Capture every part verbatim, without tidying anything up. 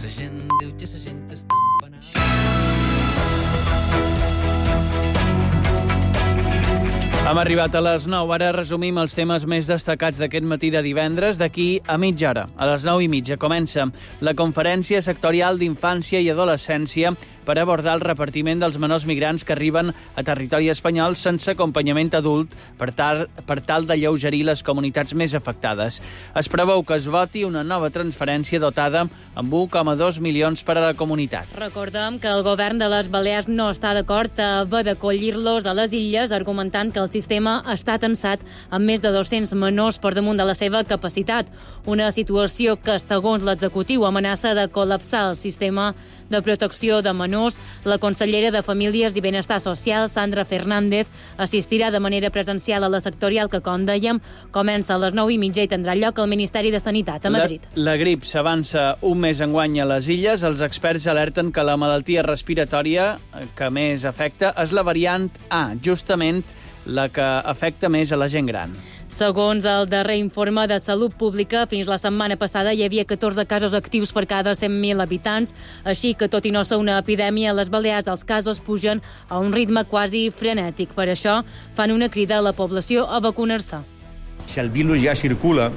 La gent diu que la gent està empanada. Hem arribat a les nou. Ara resumim els temes més destacats d'aquest matí de divendres. D'aquí a mitja hora, a les nou i mitja, comença la conferència sectorial d'infància i adolescència per abordar el repartiment dels menors migrants que arriben a territori espanyol sense acompanyament adult per tal, per tal d'alleugerir les comunitats més afectades. Es preveu que es voti una nova transferència dotada amb un coma dos milions per a la comunitat. Recordem que el govern de les Balears no està d'acord a haver d'acollir-los a les illes, argumentant que el sistema està tensat amb més de dos-cents menors per damunt de la seva capacitat. Una situació que, segons l'executiu, amenaça de col·lapsar el sistema de protecció de menors. La consellera de Famílies i Benestar Social, Sandra Fernández, assistirà de manera presencial a la sectorial que, com dèiem, comença a les nou i mitja i tindrà lloc al Ministeri de Sanitat a Madrid. La, la grip s'avança un mes enguany a les illes. Els experts alerten que la malaltia respiratòria que més afecta és la variant A, justament la que afecta més a la gent gran. Segons el darrer informe de Salut Pública, fins la setmana passada hi havia catorze casos actius per cada cent mil habitants, així que, tot i no ser una epidèmia, a les Balears els casos pugen a un ritme quasi frenètic. Per això, fan una crida a la població a vacunar-se. Si el virus ja circula,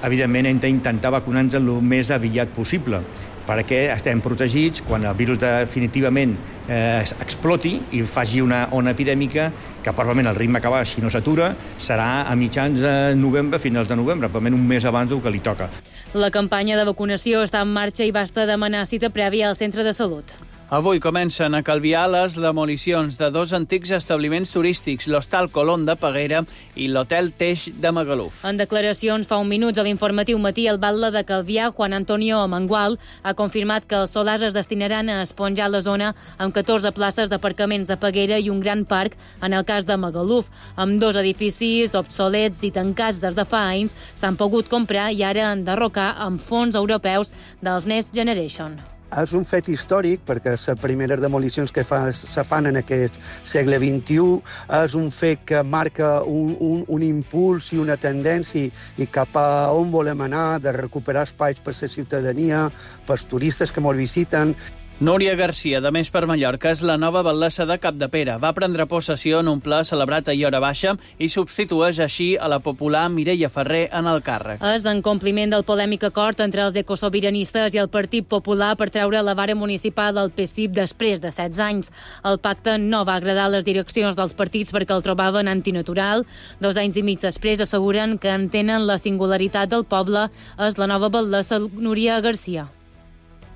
evidentment hem d'intentar vacunar-nos el més aviat possible, perquè estem protegits quan el virus definitivament eh, exploti i faci una ona epidèmica, que probablement el ritme que va, si no s'atura, serà a mitjans de novembre, finals de novembre, probablement un mes abans del que li toca. La campanya de vacunació està en marxa i basta demanar cita prèvia al centre de salut. Avui comencen a Calvià les demolicions de dos antics establiments turístics, l'Hostal Colón de Peguera i l'Hotel Teix de Magaluf. En declaracions fa un minuts a l'informatiu Matí, el batlle de Calvià, Juan Antonio Mangual, ha confirmat que els solars es destinaran a esponjar la zona amb catorze places d'aparcaments a Peguera i un gran parc en el cas de Magaluf. Amb dos edificis obsolets i tancats des de fa anys s'han pogut comprar i ara enderrocar amb fons europeus dels Next Generation. És un fet històric perquè les primeres demolicions que fa, se fan en aquest segle vint-i-u és un fet que marca un, un, un impuls i una tendència i cap a on volem anar, de recuperar espais per la ciutadania, pels turistes que ens visiten. Núria Garcia, de Més per Mallorca, és la nova batllessa de Capdepera. Va prendre possessió en un ple celebrat ahir a hora baixa i substitueix així a la popular Mireia Ferrer en el càrrec. És en compliment del polèmic acord entre els ecosobiranistes i el Partit Popular per treure la vara municipal del P S I P després de setze anys. El pacte no va agradar a les direccions dels partits perquè el trobaven antinatural. Dos anys i mig després asseguren que entenen la singularitat del poble. És la nova batllessa Núria Garcia.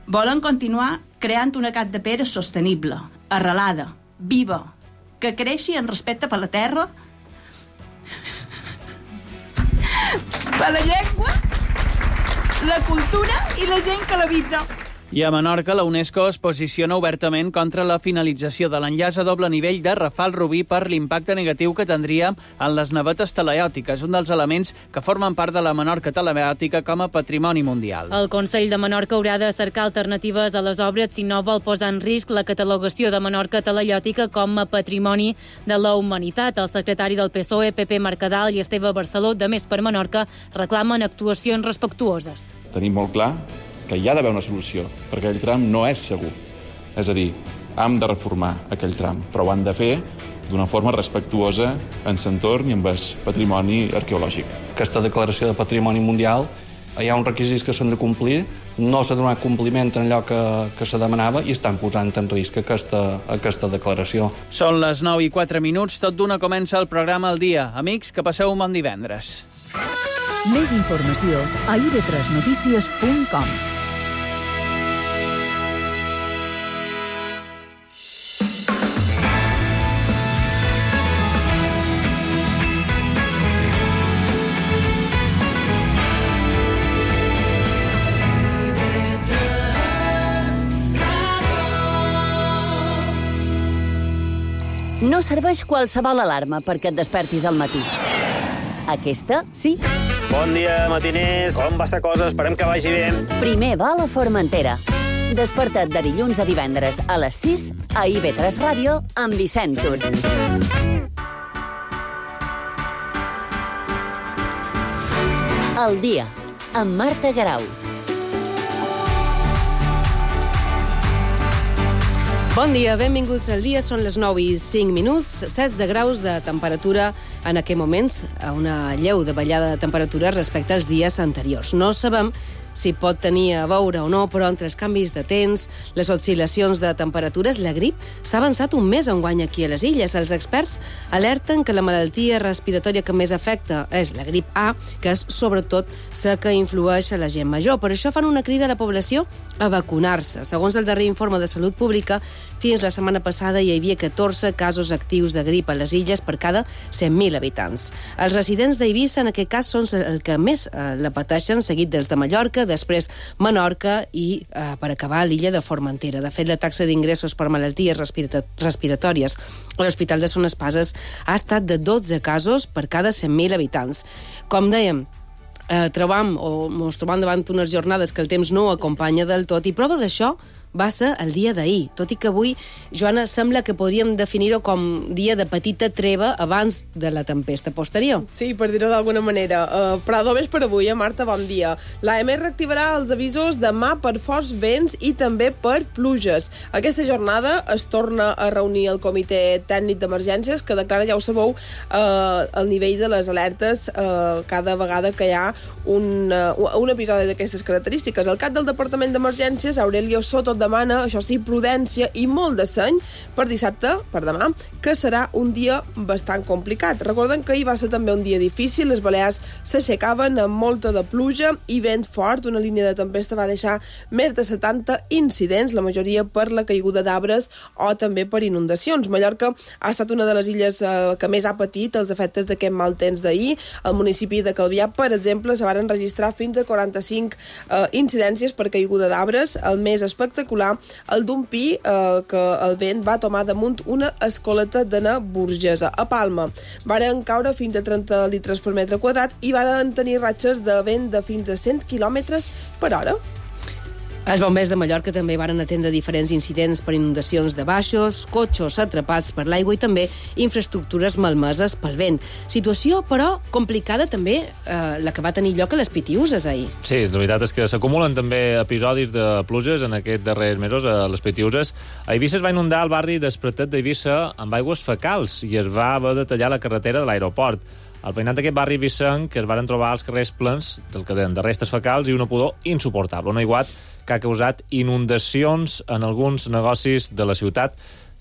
Volen continuar creant una Capdepera sostenible, arrelada, viva, que creixi en respecte per la terra, per la llengua, la cultura i la gent que l'habita. I a Menorca, la UNESCO es posiciona obertament contra la finalització de l'enllaç a doble nivell de Rafal Rubí per l'impacte negatiu que tindria en les navetes teleòtiques, un dels elements que formen part de la Menorca teleòtica com a patrimoni mundial. El Consell de Menorca haurà de cercar alternatives a les obres si no vol posar en risc la catalogació de Menorca teleòtica com a patrimoni de la humanitat. El secretari del P S O E, Pepe Mercadal, i Esteve Barceló, de Més per Menorca, reclamen actuacions respectuoses. Tenim molt clar que hi ha d'haver una solució, perquè aquell tram no és segur. És a dir, hem de reformar aquell tram, però ho han de fer d'una forma respectuosa en l'entorn i amb el patrimoni arqueològic. Aquesta declaració de patrimoni mundial, hi ha uns requisits que s'han de complir, no s'ha donat compliment en allò que, que se demanava i estan posant en risc aquesta, aquesta declaració. Són les nou i quatre minuts, tot d'una comença el programa al dia. Amics, que passeu un bon divendres. Més informació a i ve tres notícies punt com. No serveix qualsevol alarma perquè et despertis al matí. Aquesta, sí. Bon dia, matiners. Com va la cosa? Esperem que vagi bé. Primer va a la Formentera. Desperta't de dilluns a divendres a les sis a i ve tres Ràdio amb Vicent Tur. El dia, amb Marta Garau. Bon dia, benvinguts al dia. Són les nou i cinc minuts, setze graus de temperatura en aquests moments, a una lleu de ballada de temperatura respecte als dies anteriors. No sabem si pot tenir a veure o no, però entre els canvis de temps, les oscil·lacions de temperatures, la grip s'ha avançat un mes enguany aquí a les illes. Els experts alerten que la malaltia respiratòria que més afecta és la grip A, que és sobretot la que influeix a la gent major. Per això fan una crida a la població a vacunar-se. Segons el darrer informe de Salut Pública, fins la setmana passada hi havia catorze casos actius de grip a les illes per cada cent mil habitants. Els residents d'Eivissa, en aquest cas, són el que més eh, la pateixen, seguit dels de Mallorca, després Menorca i, eh, per acabar, l'illa de Formentera. De fet, la taxa d'ingressos per malalties respirata- respiratòries a l'Hospital de Son Espases ha estat de dotze casos per cada cent mil habitants. Com dèiem, eh, trobam o ens trobam davant unes jornades que el temps no acompanya del tot, i prova d'això va ser el dia d'ahir, tot i que avui, Joana, sembla que podríem definir-ho com dia de petita treva abans de la tempesta posterior. Sí, per dir-ho d'alguna manera. Uh, però només per avui, eh, Marta, bon dia. L'A M reactivarà els avisos demà per forts vents i també per pluges. Aquesta jornada es torna a reunir el Comitè Tècnic d'Emergències, que declara, ja ho sabeu, uh, el nivell de les alertes uh, cada vegada que hi ha un, uh, un episodi d'aquestes característiques. El cap del Departament d'Emergències, Aurelio Soto, demana, això sí, prudència i molt de seny per dissabte, per demà, que serà un dia bastant complicat. Recordem que ahir va ser també un dia difícil, les Balears s'aixecaven amb molta de pluja i vent fort. Una línia de tempesta va deixar més de setanta incidents, la majoria per la caiguda d'arbres o també per inundacions. Mallorca ha estat una de les illes eh, que més ha patit els efectes d'aquest mal temps d'ahir. Al municipi de Calvià, per exemple, se van registrar fins a quaranta-cinc eh, incidències per caiguda d'arbres. El més espectacular, el d'un pi eh, que el vent va tomar damunt una escoleta d'ana burgesa. A Palma varen caure fins a trenta litres per metre quadrat i varen tenir ratxes de vent de fins a cent quilòmetres per hora. Els bombers de Mallorca també varen atendre diferents incidents per inundacions de baixos, cotxos atrapats per l'aigua i també infraestructures malmeses pel vent. Situació, però, complicada també eh, la que va tenir lloc a les Pitiüses ahir. Sí, la veritat és que s'acumulen també episodis de pluges en aquests darrers mesos a les Pitiüses. A Eivissa es va inundar el barri d'Espretet d'Eivissa amb aigües fecals i es va haver de tallar la carretera de l'aeroport. Al veïnat d'aquest barri vissenc que es varen trobar els carrers plens del que deien de restes fecals i una pudor insuportable. Un aiguat que ha causat inundacions en alguns negocis de la ciutat,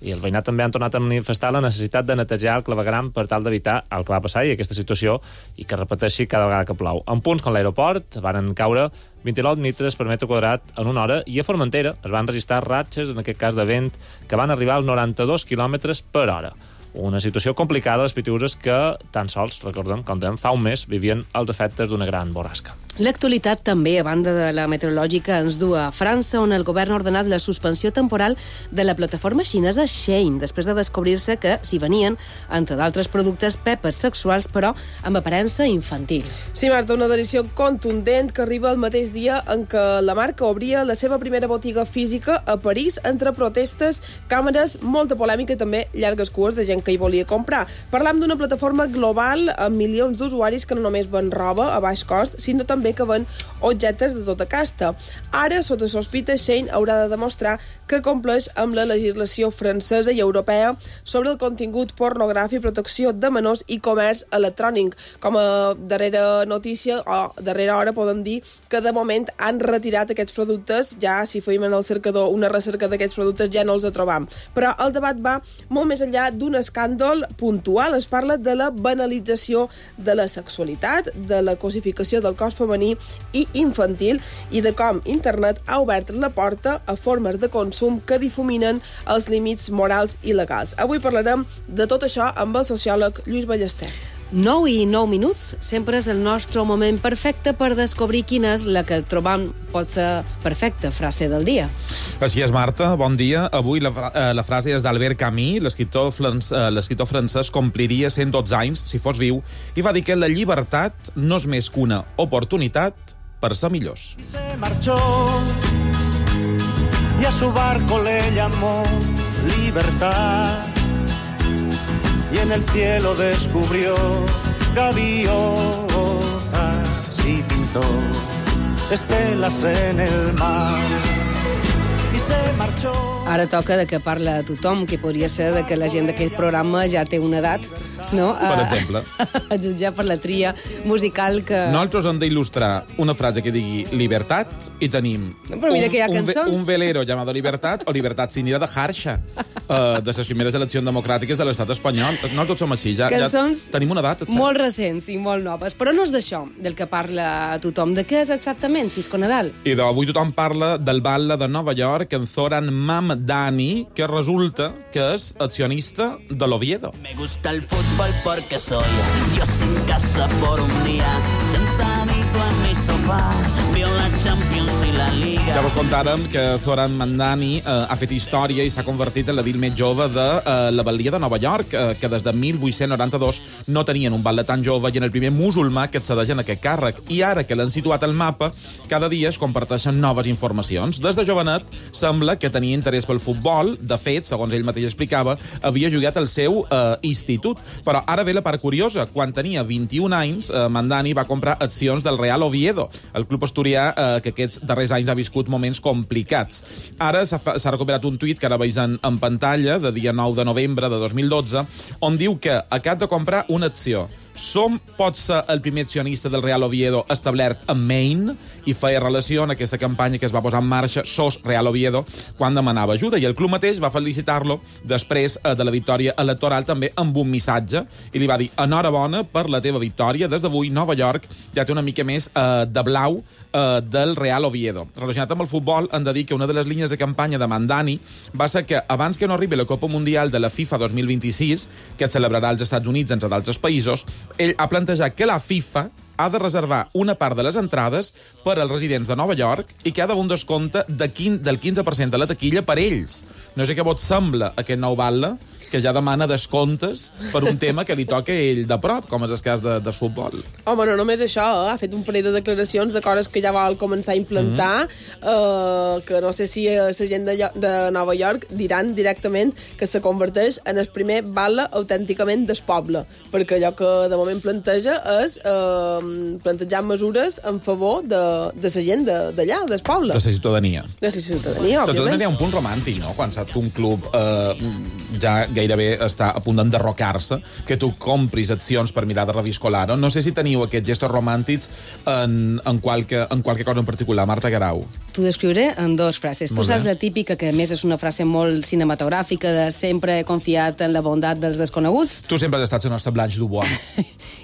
i el veïnat també han tornat a manifestar la necessitat de netejar el clavegueram per tal d'evitar el que va passar i aquesta situació i que repeteixi cada vegada que plou. En punts com l'aeroport varen caure vint-i-nou litres per metre quadrat en una hora i a Formentera es van registrar ratxes, en aquest cas de vent, que van arribar als noranta-dos quilòmetres per hora. Una situació complicada a les Pitiüses que tan sols, recordem, com dèiem, fa un mes vivien els efectes d'una gran borrasca. L'actualitat també, a banda de la meteorològica, ens du a França, on el govern ha ordenat la suspensió temporal de la plataforma xinesa Shein, després de descobrir-se que s'hi venien, entre d'altres productes, pèpers sexuals, però amb aparença infantil. Sí, Marta, una decisió contundent que arriba el mateix dia en què la marca obria la seva primera botiga física a París, entre protestes, càmeres, molta polèmica i també llargues cues de gent que hi volia comprar. Parlam d'una plataforma global amb milions d'usuaris que no només ven roba a baix cost, sinó també que ven objectes de tota casta. Ara, sota sospita, Shein haurà de demostrar que compleix amb la legislació francesa i europea sobre el contingut pornogràfic, protecció de menors i comerç electrònic. Com a darrera notícia, o darrera hora, podem dir que de moment han retirat aquests productes. Ja, si feim en el cercador una recerca d'aquests productes, ja no els trobam. Però el debat va molt més enllà d'un escàndol puntual. Es parla de la banalització de la sexualitat, de la cosificació del cos femení i infantil i de com internet ha obert la porta a formes de consum que difuminen els límits morals i legals. Avui parlarem de tot això amb el sociòleg Lluís Ballester. nou i nou minuts sempre és el nostre moment perfecte per descobrir quina és la que trobam pot ser perfecta frase del dia. Així és, Marta. Bon dia. Avui la, eh, la frase és d'Albert Camus, l'escriptor eh, l'escriptor francès compliria cent dotze anys si fos viu i va dir que la llibertat no és més que una oportunitat per ser millors. Y se marchó y a su barco le llamó libertad. Y en el cielo descubrió gaviotas y pintó estelas en el mar. Y se marchó. Ara toca de que parla tothom, que podria ser de que la gent d'aquest programa ja té una edat, no? Per exemple. A jutjar per la tria musical que... Nosaltres hem d'il·lustrar una frase que digui libertat i tenim Però mira un, que hi ha un, ve- cançons. un velero llamado Libertat o Libertat sin ira de Harsha, uh, de les primeres eleccions democràtiques de l'estat espanyol. Nosaltres som així, ja, ja Cançons tenim una edat, et sap? molt recents i molt noves. Però no és d'això del que parla tothom. De què és exactament, Xisco Nadal? I d'avui tothom parla del batle de Nova York, en Zoran Mamdani, que resulta que és accionista de l'Oviedo. Me gusta el fútbol porque soy Dios en casa por un día, sentadito en mi sofá, veo la Champions i la Liga. Ja vos contàrem que Zoran Mamdani eh, ha fet història i s'ha convertit en l'edil més jove de eh, la batllia de Nova York, eh, que des de mil vuit-cents noranta-dos no tenien un batle tan jove i en el primer musulmà que accedeix en aquest càrrec. I ara que l'han situat al mapa, cada dia es comparteixen noves informacions. Des de jovenet sembla que tenia interès pel futbol. De fet, segons ell mateix explicava, havia jugat al seu eh, institut. Però ara ve la part curiosa. Quan tenia vint-i-un anys, eh, Mamdani va comprar accions del Real Oviedo, el club asturià eh, que aquests darrers anys ha viscut moments complicats. Ara s'ha s'ha recuperat un tuit que ara veus en, en pantalla, de dia nou de novembre de dos mil dotze, on diu que acaba de comprar una acció. Som pot ser el primer accionista del Real Oviedo establert a Maine, i feia relació en aquesta campanya que es va posar en marxa Sos Real Oviedo quan demanava ajuda, i el club mateix va felicitar-lo després eh, de la victòria electoral també amb un missatge, i li va dir enhorabona per la teva victòria, des d'avui Nova York ja té una mica més eh, de blau eh, del Real Oviedo. Relacionat amb el futbol, hem de dir que una de les línies de campanya de Mamdani va ser que abans que no arribi la Copa Mundial de la FIFA dos mil vint-i-sis, que es celebrarà als Estats Units entre d'altres països, ell ha plantejat que la FIFA ha de reservar una part de les entrades per als residents de Nova York i que ha d'haver un descompte de quin, del quinze per cent de la taquilla per ells. No sé què vos sembla aquest nou batle que ja demana descomptes per un tema que li toca a ell de prop, com és el cas de, del futbol. Home, no només això, eh? Ha fet un parell de declaracions de coses que ja vol començar a implantar, mm-hmm. eh, que no sé si la gent de, de Nova York diran directament que se converteix en el primer batle autènticament del poble, perquè allò que de moment planteja és eh, plantejar mesures en favor de, de la gent d'allà, del poble. De la ciutadania. De la ciutadania, òbviament. De tot hi ha un punt romàntic, no?, quan saps que un club eh, ja gairebé està a punt d'enderrocar-se, que tu compris accions per mirar de reviscolar-ho. No sé si teniu aquests gestos romàntics en, en, qualque, en qualque cosa en particular. Marta Guerau. T'ho descriuré en dues frases. Molt tu saps bé. la típica, que a més és una frase molt cinematogràfica, de sempre he confiat en la bondat dels desconeguts. Tu sempre has estat la nostra Blanche Dubois.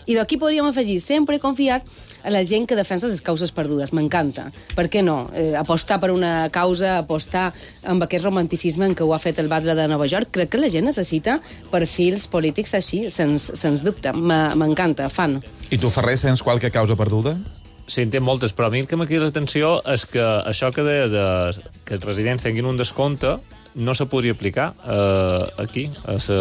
I d'aquí podríem afegir, sempre he confiat a la gent que defensa les causes perdudes. M'encanta. Per què no? Eh, apostar per una causa, apostar amb aquest romanticisme en què ho ha fet el batle de Nova York. Crec que la gent necessita perfils polítics així, sens, sens dubte. M'encanta, fan. I tu, Ferrer, sents qualque causa perduda? Sí, en té moltes, però a mi el que m'ha cridat l'atenció és que això que deia de, que els residents tinguin un descompte no se podria aplicar eh, aquí, a la,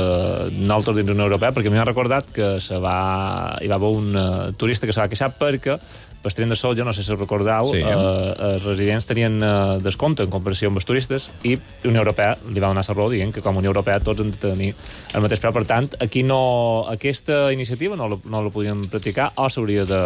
nosaltres dins d'Unió Europea, perquè m'ha recordat que se va, hi va haver un uh, turista que se va queixar perquè per tren de sol, jo no sé si recordeu, sí. eh, els residents tenien eh, descompte en comparació amb els turistes i la Unió Europea li va donar la raó dient que com a Unió Europea tots han de tenir el mateix preu. Per tant, aquí no, aquesta iniciativa no la, no la podíem practicar o s'hauria de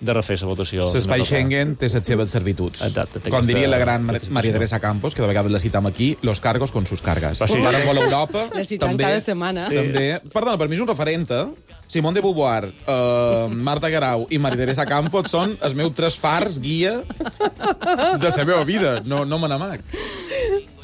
de refer la votació. L'espai Schengen té les seves servituds. Exacte. Com aquesta, diria la gran Maria Teresa Campos, que de vegades la citam aquí, los cargos con sus cargas. Però sí, ara vol Europa... La citam cada setmana. Sí. També, perdona, per mi és un referent, eh? Simone de Beauvoir, uh, Marta Guerau i Maria Teresa Campos són els meus tres fars guia de la meva vida. No, no me n'amac.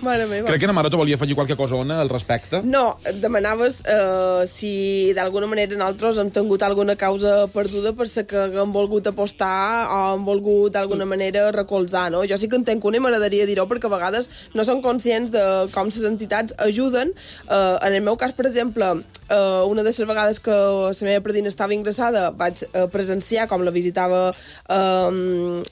Mare meva. Crec que na Maroto volia afegir qualque cosona al respecte. No, et demanaves eh, si d'alguna manera nosaltres hem tingut alguna causa perduda per ser que hem volgut apostar o hem volgut d'alguna manera recolzar, no? Jo sí que en tenc una i m'agradaria dir-ho perquè a vegades no són conscients de com les entitats ajuden. Eh, en el meu cas, per exemple, eh, una de les vegades que la meva predina estava ingressada vaig eh, presenciar com la visitava eh,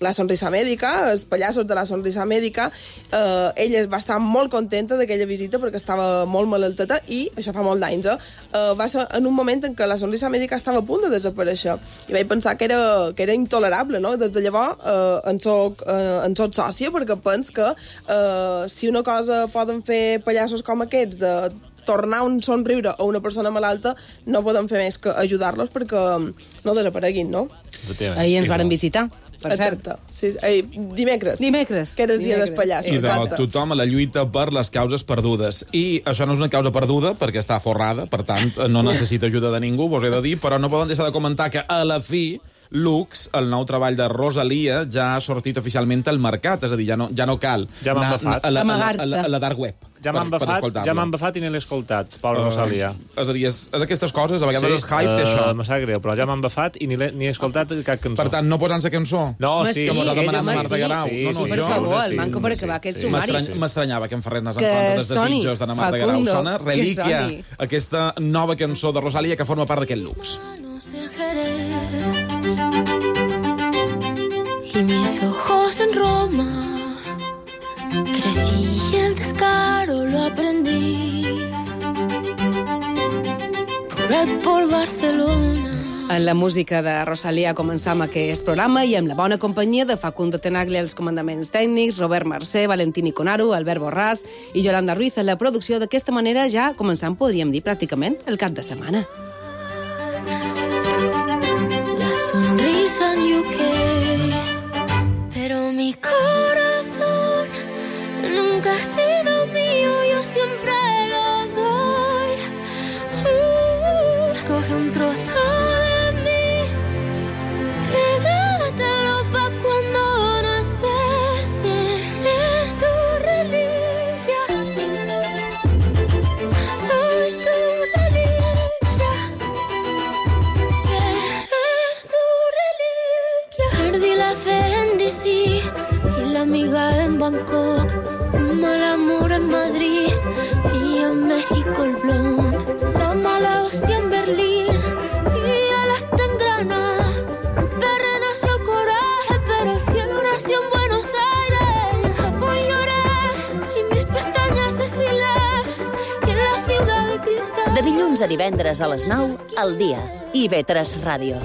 la Sonrisa Mèdica, els pallassos de la Sonrisa Mèdica. Eh, ella va estar molt contenta d'aquella visita perquè estava molt malalteta i, això fa molt d'anys, eh? Uh, va ser en un moment en què la Sonrisa Mèdica estava a punt de desaparèixer i vaig pensar que era, que era intolerable, no? Des de llavors uh, en soc, uh, en soc sòcia perquè pens que uh, si una cosa poden fer pallassos com aquests de tornar un somriure a una persona malalta, no podem fer més que ajudar-los perquè no desapareguin, no? Ahir ens varen visitar. per cert. Exacte. Sí, eh, dimecres. Dimecres. Que era el dia Dimecres. dels pallassos. I de Exacte. tothom a la lluita per les causes perdudes. I això no és una causa perduda, perquè està forrada, per tant, no necessita ajuda de ningú, vos he de dir, però no poden deixar de comentar que a la fi Lux, el nou treball de Rosalia, ja ha sortit oficialment al mercat, és a dir, ja no, ja no cal Ja m'han anar bafat. a la, a la, a Amagar-se. la, a la dark web. Ja m'han per- per bafat, escoltar-lo. ja m'han bafat i ni l'he escoltat, Pablo Uh, Rosalia. És a dir, és, és aquestes coses, a vegades Sí, el hype té això. eh, me sap greu, però ja m'han bafat i ni, l'he- ni he escoltat cap cançó. Per tant, no posant la cançó? No, Home, sí, Que mos ha ella demanat sí. la Marta Garau. Sí, no, no, sí, per jo... favor, el sí, manco per acabar sí, aquest sí. sumari. M'estrany- M'estranyava que em farés en Que contra dels soni, desitjos d'Anna Marta Garau. Facundo, Sona que Relíquia, soni. aquesta nova cançó de Rosalia que forma part d'aquest Lux. en Jerez y mis ojos en Roma. Crecí y el descaro lo aprendí por ahí por Barcelona. En la música de Rosalia començam aquest programa i amb la bona companyia de Facundo Tenaglia als comandaments tècnics, Robert Mercè, Valentí Conaro, Albert Borràs i Yolanda Ruiz en la producció. D'aquesta manera ja començam, podríem dir, pràcticament el cap de setmana. La sonrisa en U K, pero mi corazón nunca ha sido mío, yo siempre lo doy. Uh, coge un trozo de mí, quédatelo pa' cuando no estés, seré tu reliquia, soy tu reliquia. Perdí la fe en D C y la amiga en Bangkok, un mal amor en Madrid y en México el blond, la mala hostia en Berlín y el hasta en Granada. En Perra nació el coraje, pero el cielo nació en Buenos Aires. En Japón lloré y mis pestañas deshilé y en la ciudad de cristal. De dilluns a divendres a les nou, al dia. I B tres Ràdio.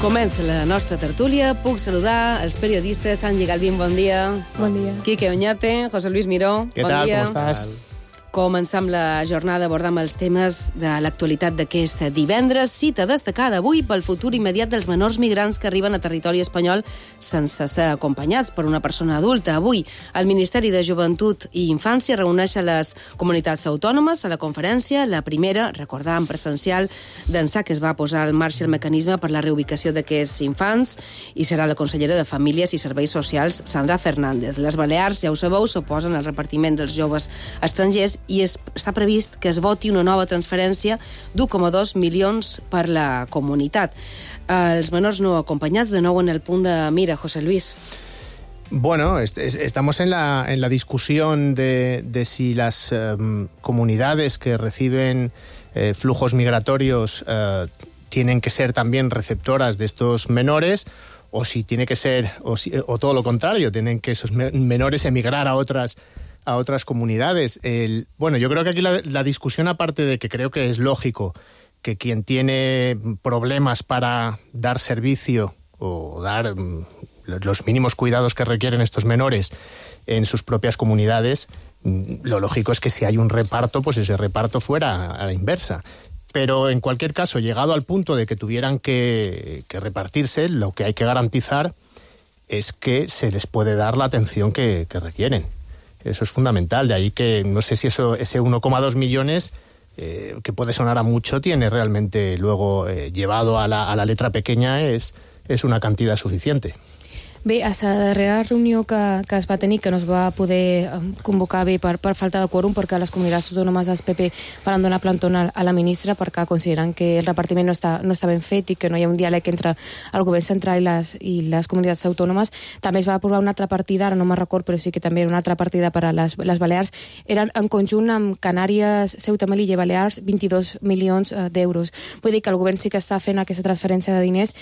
Comença la nostra tertúlia. Puc saludar els periodistes. Sanji Galvín, bon dia. Bon dia. Quique Oñate, José Luis Miró, ¿Qué bon tal? dia. ¿Cómo estás? Començam la jornada abordant els temes de l'actualitat d'aquest divendres. Cita destacada avui pel futur immediat dels menors migrants que arriben a territori espanyol sense ser acompanyats per una persona adulta. Avui, el Ministeri de Joventut i Infància reuneix a les comunitats autònomes a la conferència. La primera, recordar en presencial, d'ençà que es va posar en marxa el mecanisme per la reubicació d'aquests infants, i serà la consellera de Famílies i Serveis Socials, Sandra Fernández. Les Balears, ja ho sabeu, s'oposen al repartiment dels joves estrangers i es, està previst que es voti una nova transferència d'u coma dos milions per la comunitat. Els menors no acompanyats, de nou en el punt de mira, José Luis. Bueno, est est estamos en la, en la discusión de, de si las eh, comunidades que reciben eh, flujos migratorios eh, tienen que ser también receptoras de estos menores, o si tiene que ser, o, si, o todo lo contrario, tienen que esos me menores emigrar a otras a otras comunidades. El, bueno, yo creo que aquí la, la discusión, aparte de que creo que es lógico que quien tiene problemas para dar servicio o dar mm, los mínimos cuidados que requieren estos menores en sus propias comunidades, mm, lo lógico es que si hay un reparto, pues ese reparto fuera a la inversa. Pero en cualquier caso, llegado al punto de que tuvieran que, que repartirse, lo que hay que garantizar es que se les puede dar la atención que, que requieren. Eso es fundamental. De ahí que no sé si eso ese uno coma dos millones, eh, que puede sonar a mucho, tiene realmente luego eh, llevado a la, a la letra pequeña, es, es una cantidad suficiente. Bé, a la darrera reunió que, que es va tenir, que no es va poder convocar bé per, per falta de quòrum, perquè les comunitats autònomes del P P van donar plantón a la ministra perquè consideren que el repartiment no està, no està ben fet i que no hi ha un diàleg entre el govern central i les, i les comunitats autònomes. També es va aprovar una altra partida, ara no me'n record, però sí que també era una altra partida per a les, les Balears. Eren en conjunt amb Canàries, Ceuta, Melilla i Balears vint-i-dos milions d'euros. Vull dir que el govern sí que està fent aquesta transferència de diners,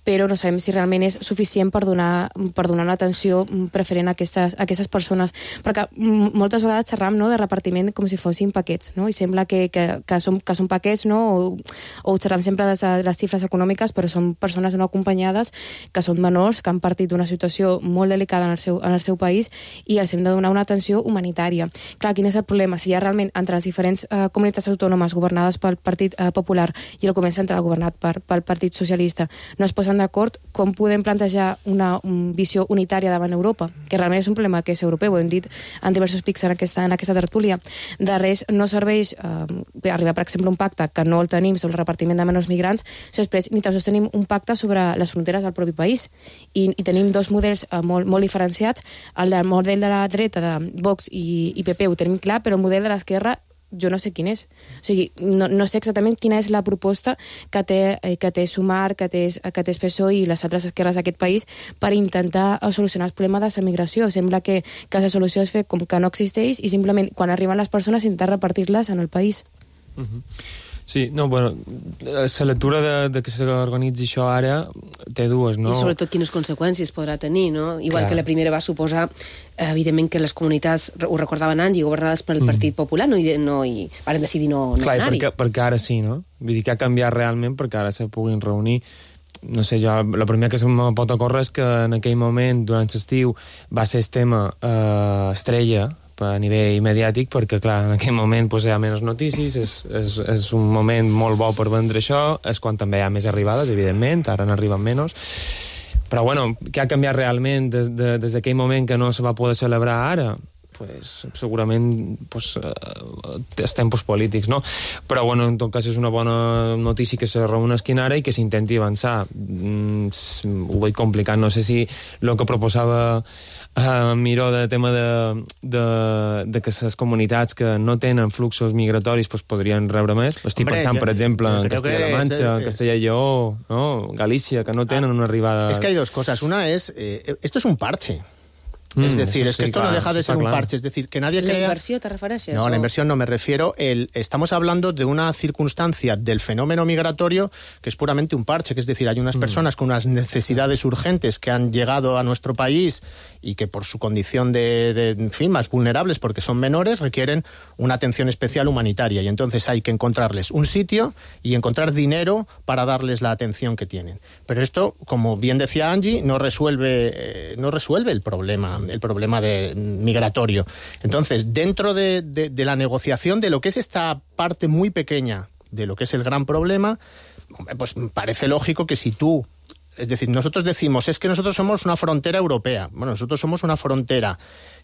però no sabem si realment és suficient per donar per donar una atenció preferent a aquestes, a aquestes persones. Perquè moltes vegades xerram, no, de repartiment com si fossin paquets, no? I sembla que, que, que, són, que són paquets, no? O, o xerram sempre de les xifres econòmiques, però són persones no acompanyades que són menors, que han partit d'una situació molt delicada en el seu, en el seu país i els hem de donar una atenció humanitària. Clar, quin és el problema? Si hi ha realment entre les diferents eh, comunitats autònomes governades pel Partit eh, Popular i el govern central governat per, pel Partit Socialista no es posen d'acord, com podem plantejar una un visió unitària davant Europa? Que realment és un problema que és europeu, ho hem dit en diversos pics en aquesta, en aquesta tertúlia. De res no serveix eh, arribar, per exemple, a un pacte que no el tenim sobre el repartiment de menors migrants, si després ni tan sols tenim un pacte sobre les fronteres del propi país. I, i tenim dos models eh, molt, molt diferenciats. El del model de la dreta, de Vox i, i P P, ho tenim clar, però el model de l'esquerra jo no sé quin és. O sigui, no, no sé exactament quina és la proposta que té, que té Sumar, que té, que té P S O E i les altres esquerres d'aquest país per intentar solucionar el problema de la migració. Sembla que, que la solució és fer com que no existeix i simplement, quan arriben les persones, intentar repartir-les en el país. Uh-huh. Sí, no, bueno, la lectura de, de que s'organitzi això ara té dues, no? I sobretot quines conseqüències podrà tenir, no? Igual Clar. que la primera va suposar, evidentment, que les comunitats, ho recordaven anys, i governades pel mm. Partit Popular, no, i, no, i van decidir no, no Clar, anar-hi. Perquè, perquè ara sí, no? Vull dir que ha canviat realment perquè ara se puguin reunir. No sé, jo, la primera que se me pot ocórrer és que en aquell moment, durant l'estiu, va ser el tema eh, estrella a nivell mediàtic, perquè, clar, en aquell moment pues, hi ha menys notícies, és, és, és un moment molt bo per vendre això, és quan també hi ha més arribades, evidentment, ara n'arriben menys. Però, bueno, què ha canviat realment des, de, des d'aquell moment que no se va poder celebrar ara? Pues, segurament pues, els tempos polítics, no? Però, bueno, en tot cas és una bona notícia que se reuneixin ara i que s'intenti avançar. Mm, ho veig complicat. No sé si el que proposava Uh, Miró de tema de, de, de que les comunitats que no tenen fluxos migratoris pues, podrien rebre més. Estic Hombre, pensant, jo, per exemple, en Castella-La Mancha, en Castella y Lleó, ¿no? Galícia, que no tenen ah, una arribada... Es que hay dos cosas. Una es, eh, esto es un parche. Mm, es decir, es que sí, esto claro, no deja de ser un claro. parche, es decir, que nadie crea... ¿La inversión te refieres a eso? No, la inversión no, me refiero... El... Estamos hablando de una circunstancia del fenómeno migratorio que es puramente un parche, que es decir, hay unas mm. personas con unas necesidades urgentes que han llegado a nuestro país y que por su condición de, de, en fin, más vulnerables porque son menores, requieren una atención especial humanitaria y entonces hay que encontrarles un sitio y encontrar dinero para darles la atención que tienen. Pero esto, como bien decía Angie, no resuelve, eh, no resuelve el problema el problema de, migratorio. Entonces, dentro de, de, de la negociación de lo que es esta parte muy pequeña de lo que es el gran problema, pues parece lógico que si tú, es decir, nosotros decimos, es que nosotros somos una frontera europea. Bueno, nosotros somos una frontera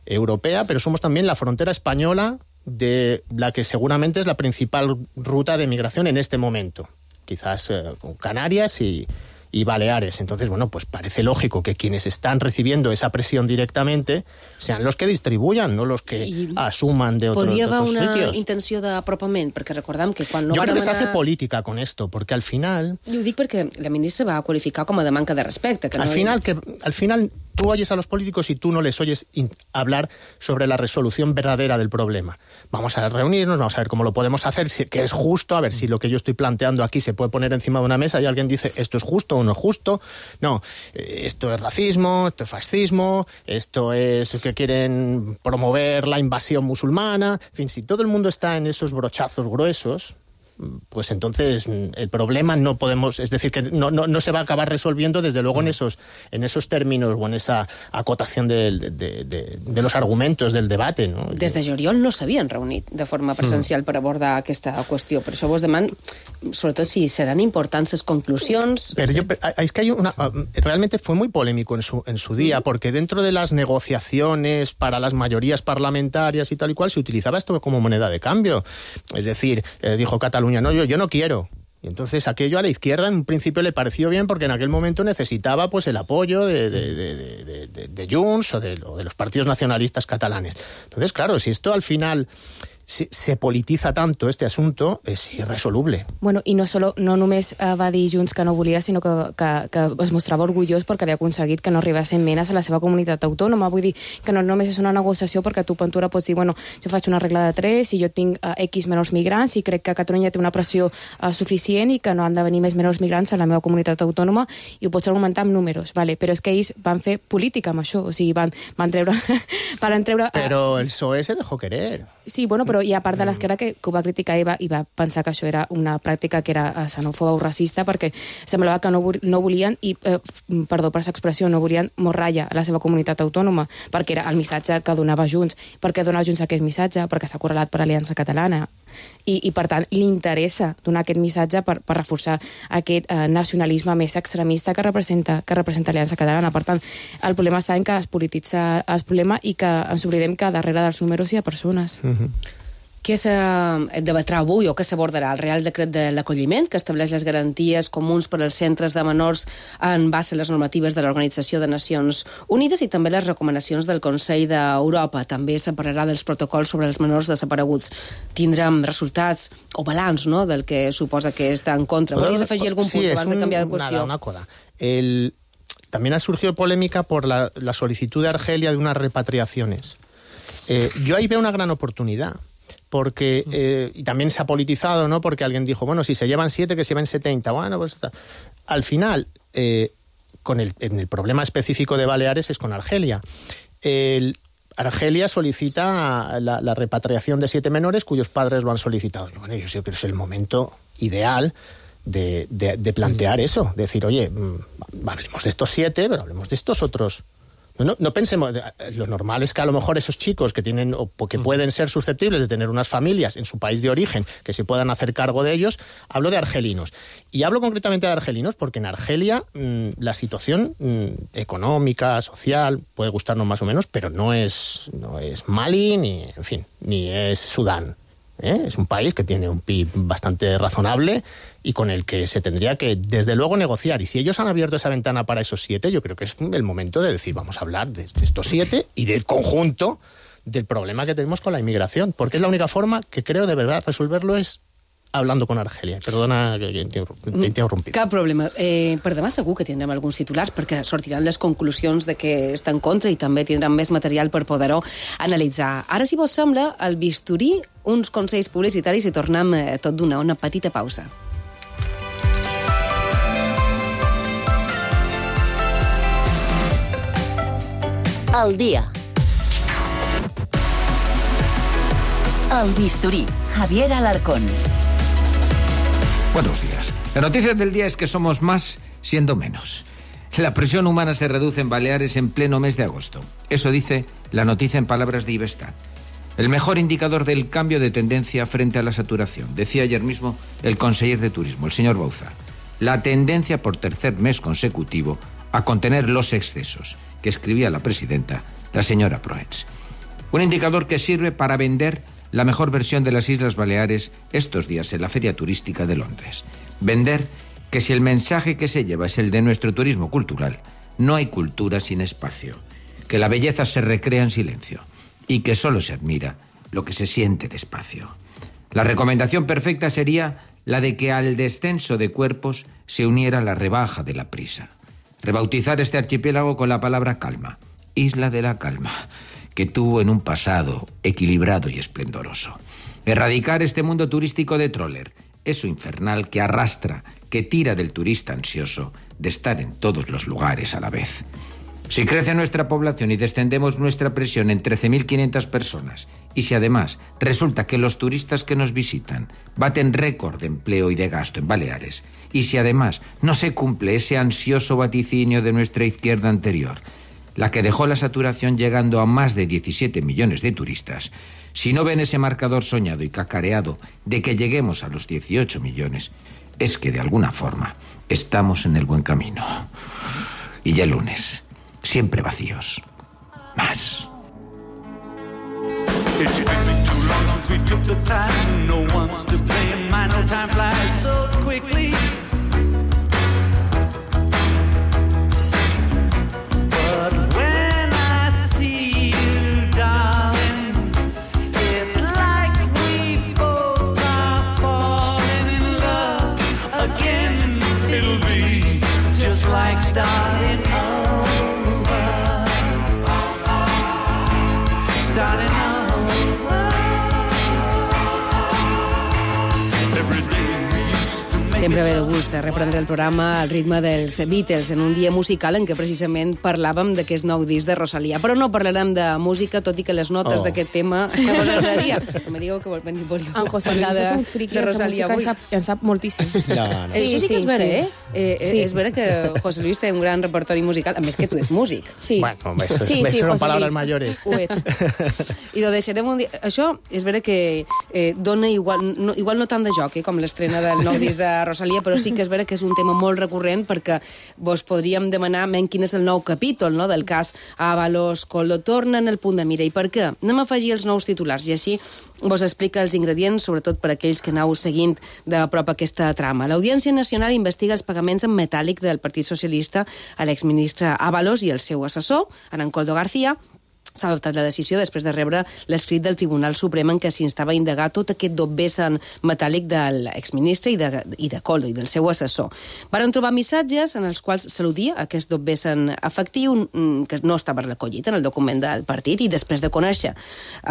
europea, pero somos también la frontera española de la que seguramente es la principal ruta de migración en este momento. Quizás eh, con Canarias y... y Baleares. Entonces, bueno, pues parece lógico que quienes están recibiendo esa presión directamente sean los que distribuyan, no los que I asuman de otros, de otros sitios. Podria haver una intenció d'apropament, perquè recordem que quan no Yo van creo que demanar... se hace política con esto, porque al final... I ho dic perquè la ministra va qualificar com a de manca de respecte. Que al, no final, que, al final tú oyes a los políticos y tú no les oyes hablar sobre la resolución verdadera del problema. Vamos a reunirnos, vamos a ver cómo lo podemos hacer, si, que es justo, a ver si lo que yo estoy planteando aquí se puede poner encima de una mesa y alguien dice esto es justo o no es justo. No, esto es racismo, esto es fascismo, esto es que quieren promover la invasión musulmana. En fin, si todo el mundo está en esos brochazos gruesos, pues entonces el problema no podemos, es decir, que no, no, no se va a acabar resolviendo desde luego en esos, en esos términos o en esa acotación de, de, de, de los argumentos del debate, no? Des de juliol no s'havien reunit de forma presencial mm. per abordar aquesta qüestió, per això vos deman, sobretot si seran importants les conclusions. Pero yo, es que hay una, realmente fue muy polémico en su, en su día, porque dentro de las negociaciones para las mayorías parlamentarias y tal y cual se utilizaba esto como moneda de cambio. Es decir, eh, dijo Cataluña, no, yo, yo no quiero. Y entonces aquello a la izquierda en un principio le pareció bien porque en aquel momento necesitaba pues el apoyo de, de, de, de, de, de Junts o de, o de los partidos nacionalistas catalanes. Entonces, claro, si esto al final se, se politiza tanto este asunto, es irresoluble. Bueno, i no, solo, no només eh, va dir Junts que no volia, sinó que, que, que es mostrava orgullós perquè havia aconseguit que no arribessin menes a la seva comunitat autònoma. Vull dir que no només és una negociació perquè tu, Ventura, pots dir, bueno, jo faig una regla de tres i jo tinc uh, X menors migrants i crec que Catalunya té una pressió uh, suficient i que no han de venir més menors migrants a la meva comunitat autònoma, i ho pots argumentar amb números, vale? Però és que ells van fer política amb això, o sigui, van, van treure... van treure uh... Però el P S O E se dejó querer. Sí, bueno, però hi ha part de l'esquerra que, que ho va criticar i va, i va pensar que això era una pràctica que era xenòfoba o racista, perquè semblava que no, no volien, i, eh, perdó per l'expressió, no volien morralla a la seva comunitat autònoma, perquè era el missatge que donava Junts. Per què dona Junts aquest missatge? Perquè s'ha correlat per Aliança Catalana. I, i per tant, li interessa donar aquest missatge per, per reforçar aquest eh, nacionalisme més extremista que representa, que representa Aliança Catalana. Per tant, el problema està en que es polititza el problema i que ens oblidem que darrere dels números hi ha persones. Mm-hmm. Què se debatrà avui o què s'abordarà? El Real Decret de l'Acolliment, que estableix les garanties comuns per als centres de menors en base a les normatives de l'Organització de Nacions Unides, i també les recomanacions del Consell d'Europa. També separarà dels protocols sobre els menors desapareguts. Tindrem resultats o balanç, no?, del que suposa que està en contra. ¿Volies afegir algun sí, punt abans un, de canviar de qüestió? Nada, una cosa. El... También ha surgido polémica por la, la solicitud de Argelia de unas repatriaciones. Eh, yo ahí veo una gran oportunidad. Porque, eh, y también se ha politizado, ¿no? Porque alguien dijo, bueno, si se llevan siete, que se lleven setenta. Bueno, pues al final, eh, con el, en el problema específico de Baleares es con Argelia. El, Argelia solicita la, la repatriación de siete menores cuyos padres lo han solicitado. Bueno, yo sé que es el momento ideal de, de, de plantear eso. De decir, oye, hablemos de estos siete, pero hablemos de estos otros. No, no pensemos, lo normal es que a lo mejor esos chicos que tienen o que pueden ser susceptibles de tener unas familias en su país de origen, que se puedan hacer cargo de ellos, hablo de argelinos. Y hablo concretamente de argelinos porque en Argelia mmm, la situación mmm, económica, social, puede gustarnos más o menos, pero no es, no es Mali ni, en fin, ni es Sudán. ¿Eh? Es un país que tiene un P I B bastante razonable y con el que se tendría que, desde luego, negociar. Y si ellos han abierto esa ventana para esos siete, yo creo que es el momento de decir, vamos a hablar de estos siete y del conjunto del problema que tenemos con la inmigración. Porque es la única forma que creo de verdad resolverlo es hablando con Argelia. Perdona que t'he interrompit. Cap problema. Eh, per demà segur que tindrem alguns titulars perquè sortiran les conclusions de què està en contra i també tindran més material per poder-ho analitzar. Ara, si vos sembla, el bisturí, uns consells publicitaris i tornem eh, tot d'una, una petita pausa. El dia. El bisturí. Javier Alarcón. Buenos días. La noticia del día es que somos más siendo menos. La presión humana se reduce en Baleares en pleno mes de agosto. Eso dice la noticia en palabras de Ivestat. El mejor indicador del cambio de tendencia frente a la saturación, decía ayer mismo el conseller de Turismo, el señor Bauza. La tendencia por tercer mes consecutivo a contener los excesos, que escribía la presidenta, la señora Proens. Un indicador que sirve para vender la mejor versión de las Islas Baleares estos días en la Feria Turística de Londres. Vender que si el mensaje que se lleva es el de nuestro turismo cultural, no hay cultura sin espacio, que la belleza se recrea en silencio y que solo se admira lo que se siente despacio. La recomendación perfecta sería la de que al descenso de cuerpos se uniera la rebaja de la prisa. Rebautizar este archipiélago con la palabra calma, Isla de la Calma, que tuvo en un pasado equilibrado y esplendoroso. Erradicar este mundo turístico de tróler, eso infernal que arrastra, que tira del turista ansioso de estar en todos los lugares a la vez. Si crece nuestra población y descendemos nuestra presión en trece mil quinientas personas, y si además resulta que los turistas que nos visitan baten récord de empleo y de gasto en Baleares, y si además no se cumple ese ansioso vaticinio de nuestra izquierda anterior, la que dejó la saturación llegando a más de diecisiete millones de turistas, si no ven ese marcador soñado y cacareado de que lleguemos a los dieciocho millones, es que de alguna forma estamos en el buen camino. Y ya el lunes, siempre vacíos. Más. Sempre ve de gust reprendre el programa al ritme dels Beatles en un dia musical en què precisament parlàvem d'aquest nou disc de Rosalía. Però no parlarem de música, tot i que les notes Oh. d'aquest tema no us agradaria. No me digueu que vol venir volíeu En José Luis parlar és de, un friqui de de la Rosalía música, en avui. sap, en sap moltíssim. No, no. Sí, Això sí que és vera, sí. eh? eh Sí. És vera que José Luis té un gran repertori musical, a més que tu ets músic. Sí. Bueno, eso, Sí, eso sí, son José palabras Luis. mayores. Ho ets. I ho deixarem un dia. Això és vera que eh, dona igual no, igual no tant de joc eh, com l'estrena del nou disc de Rosalía, però sí que és vera que és un tema molt recurrent perquè vos podríem demanar men quin és el nou capítol no, del cas Ábalos, Coldo torna en el punt de mira. I per què? Anem a afegir els nous titulars i així vos explica els ingredients, sobretot per aquells que aneu seguint de prop aquesta trama. L'Audiència Nacional investiga els pagaments en metàl·lic del Partit Socialista a l'exministre Ábalos i el seu assessor, en Coldo García. S'ha adoptat la decisió després de rebre l'escrit del Tribunal Suprem en què s'instava a indagar tot aquest dobbesen metàl·lic de l'exministre i de, i de Coldo i del seu assessor. Varen trobar missatges en els quals s'al·ludia aquest dobbesen efectiu que no estava recollit en el document del partit i després de conèixer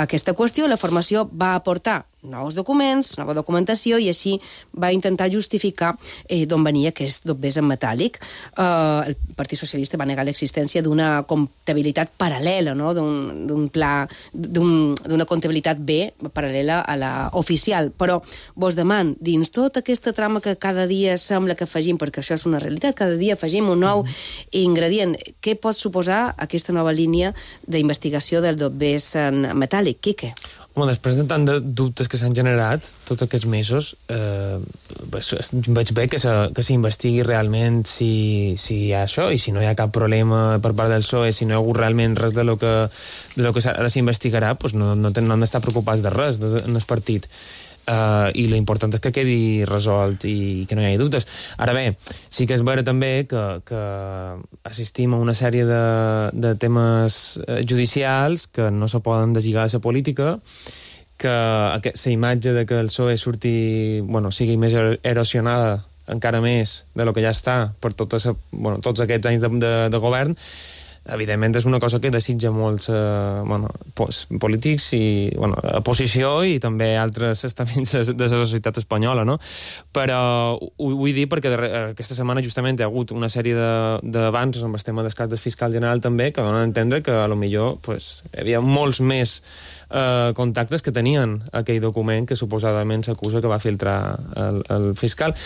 aquesta qüestió, la formació va aportar nous documents, nova documentació, i així va intentar justificar eh, d'on venia aquest dobbesen metàl·lic. Eh, el Partit Socialista va negar l'existència d'una comptabilitat paral·lela, no? d'un pla, d'una comptabilitat B paral·lela a la oficial. Però vos deman, dins tota aquesta trama que cada dia sembla que afegim, perquè això és una realitat, cada dia afegim un nou ingredient, què pot suposar aquesta nova línia d'investigació del dobbesen metàl·lic? Quique? Home, després de tant de dubtes que s'han generat tots aquests mesos, eh, pues, veig bé que s'investigui realment si, si hi ha això i si no hi ha cap problema per part del P S O E, si no hi ha hagut realment res de lo que, de lo que ara s'investigarà, pues no, no, no han d'estar preocupats de res de, en el partit. Uh, i l'important és que quedi resolt i que no hi hagi dubtes. Ara bé, sí que és vera també que, que assistim a una sèrie de, de temes judicials que no se poden deslligar de la política, que la imatge de que el P S O E surti, bueno, sigui més erosionada encara més de lo que ja està per tota sa, bueno, tots aquests anys de, de, de govern, evidentment és una cosa que desitja molts eh, bueno, polítics i bueno, oposició i també altres estaments de la societat espanyola, no? Però ho, ho vull dir perquè aquesta setmana justament hi ha hagut una sèrie d'avanços amb el tema del cas del fiscal general també que donen a entendre que a lo millor pues, hi havia molts més eh, contactes que tenien aquell document que suposadament s'acusa que va filtrar el, el fiscal.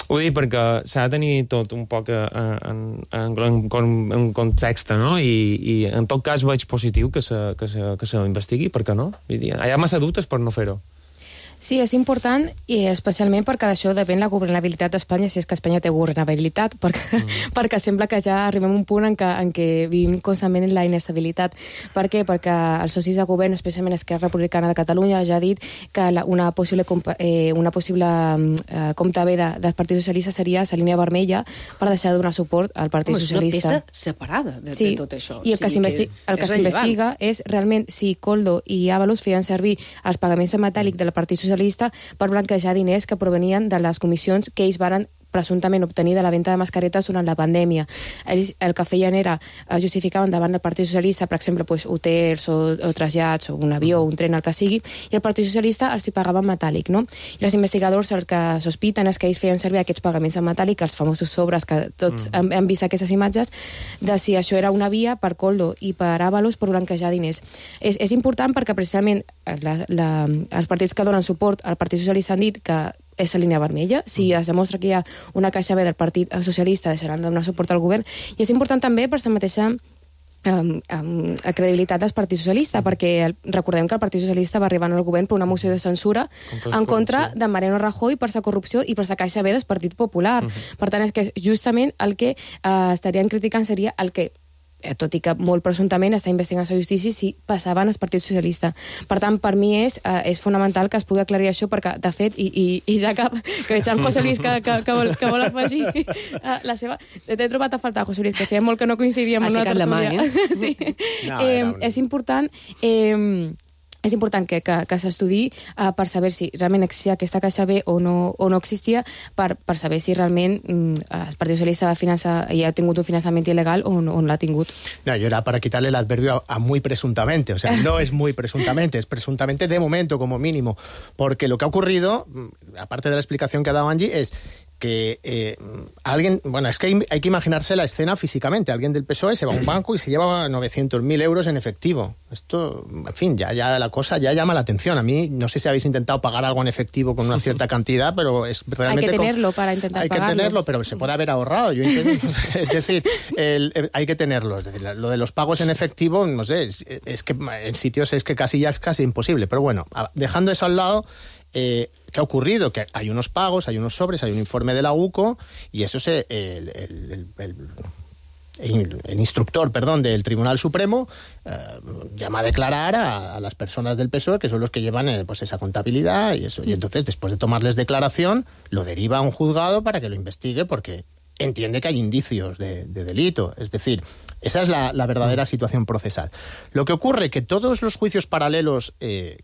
Ho dic perquè s'ha de tenir tot un poc en, en, en, en context, no? I, i en tot cas veig positiu que se, que se, que se investigui, per què no? Vull dir, hi ha massa dubtes per no fer-ho. Sí, és important, i especialment perquè d'això depèn la governabilitat d'Espanya, si és que Espanya té governabilitat, perquè, mm. perquè sembla que ja arribem a un punt en què, en què vivim constantment en la inestabilitat. Per què? Perquè els socis de govern, especialment Esquerra Republicana de Catalunya, ja ha dit que la, una possible, eh, una possible eh, compte B de, del Partit Socialista seria la línia vermella per deixar de donar suport al Partit Home, Socialista. És una peça separada de, sí. de tot això. I el sí, que s'investiga és realment si Coldo i Ábalos feien servir els pagaments en metàl·lic del Partit Socialista per blanquejar diners que provenien de les comissions que ells varen presumptament obtenir de la venda de mascaretes durant la pandèmia. Ells el que feien era justificaven davant del Partit Socialista, per exemple, pues, hotels o, o trasllats o un avió o un tren, el que sigui, i el Partit Socialista els hi pagava en metàl·lic, no? I els investigadors el que sospiten és que ells feien servir aquests pagaments en metàl·lic, els famosos sobres que tots mm. hem, hem vist aquestes imatges, de si això era una via per Coldo i per Ábalos per blanquejar diners. És, és important perquè precisament la, la, els partits que donen suport al Partit Socialista han dit que és la línia vermella. Si es demostra que hi ha una caixa B del Partit Socialista, deixaran de donar suport al govern. I és important també per la mateixa um, um, credibilitat del Partit Socialista, perquè el, recordem que el Partit Socialista va arribar al govern per una moció de censura en contra de Mariano Rajoy per la corrupció i per la caixa B del Partit Popular. Uh-huh. Per tant, és que justament el que uh, estarien criticant seria el que tot i que molt presumptament està investigant la justícia si passaven al Partit Socialista. Per tant, per mi és, eh, és fonamental que es pugui aclarir això, perquè, de fet, i, i, i ja que, que veig en José Luis que, que, que, vol, que vol afegir la seva... T'he trobat a faltar, José Luis, que feia molt que no coincidíem en una tertúlia. la mà, eh? Sí. No, eh, no, no. És important... Eh, és important que, que, que s'estudiï uh, per saber si realment existia aquesta caixa B o no, o no existia, per, per saber si realment mm, el Partit Socialista va finançar, i ha tingut un finançament il·legal o no, o no l'ha tingut. No, yo era para quitarle el adverbio a, a muy presuntamente, o sea, no es muy presuntamente, es presuntamente de momento como mínimo, porque lo que ha ocurrido, aparte de la explicación que ha dado Angie, es que eh, alguien, bueno, es que hay, hay que imaginarse la escena físicamente. Alguien del P S O E se va a un banco y se lleva novecientos mil euros en efectivo. Esto, en fin, ya, ya la cosa ya llama la atención. A mí, no sé si habéis intentado pagar algo en efectivo con una cierta cantidad, pero es realmente... Hay que tenerlo para intentar Hay pagarlo. que tenerlo, pero se puede haber ahorrado. Yo entiendo, es decir, el, el, hay que tenerlo. Es decir, lo de los pagos en efectivo, no sé, es, es que en sitios es que casi ya es casi imposible. Pero bueno, dejando eso al lado... Eh, ¿qué ha ocurrido? Que hay unos pagos, hay unos sobres, hay un informe de la U C O y eso se... El, el, el, el, el instructor, perdón, del Tribunal Supremo eh, llama a declarar a, a las personas del P S O E que son los que llevan eh, pues esa contabilidad y eso. Y entonces, después de tomarles declaración, lo deriva a un juzgado para que lo investigue porque entiende que hay indicios de, de delito. Es decir, esa es la, la verdadera situación procesal. Lo que ocurre es que todos los juicios paralelos eh,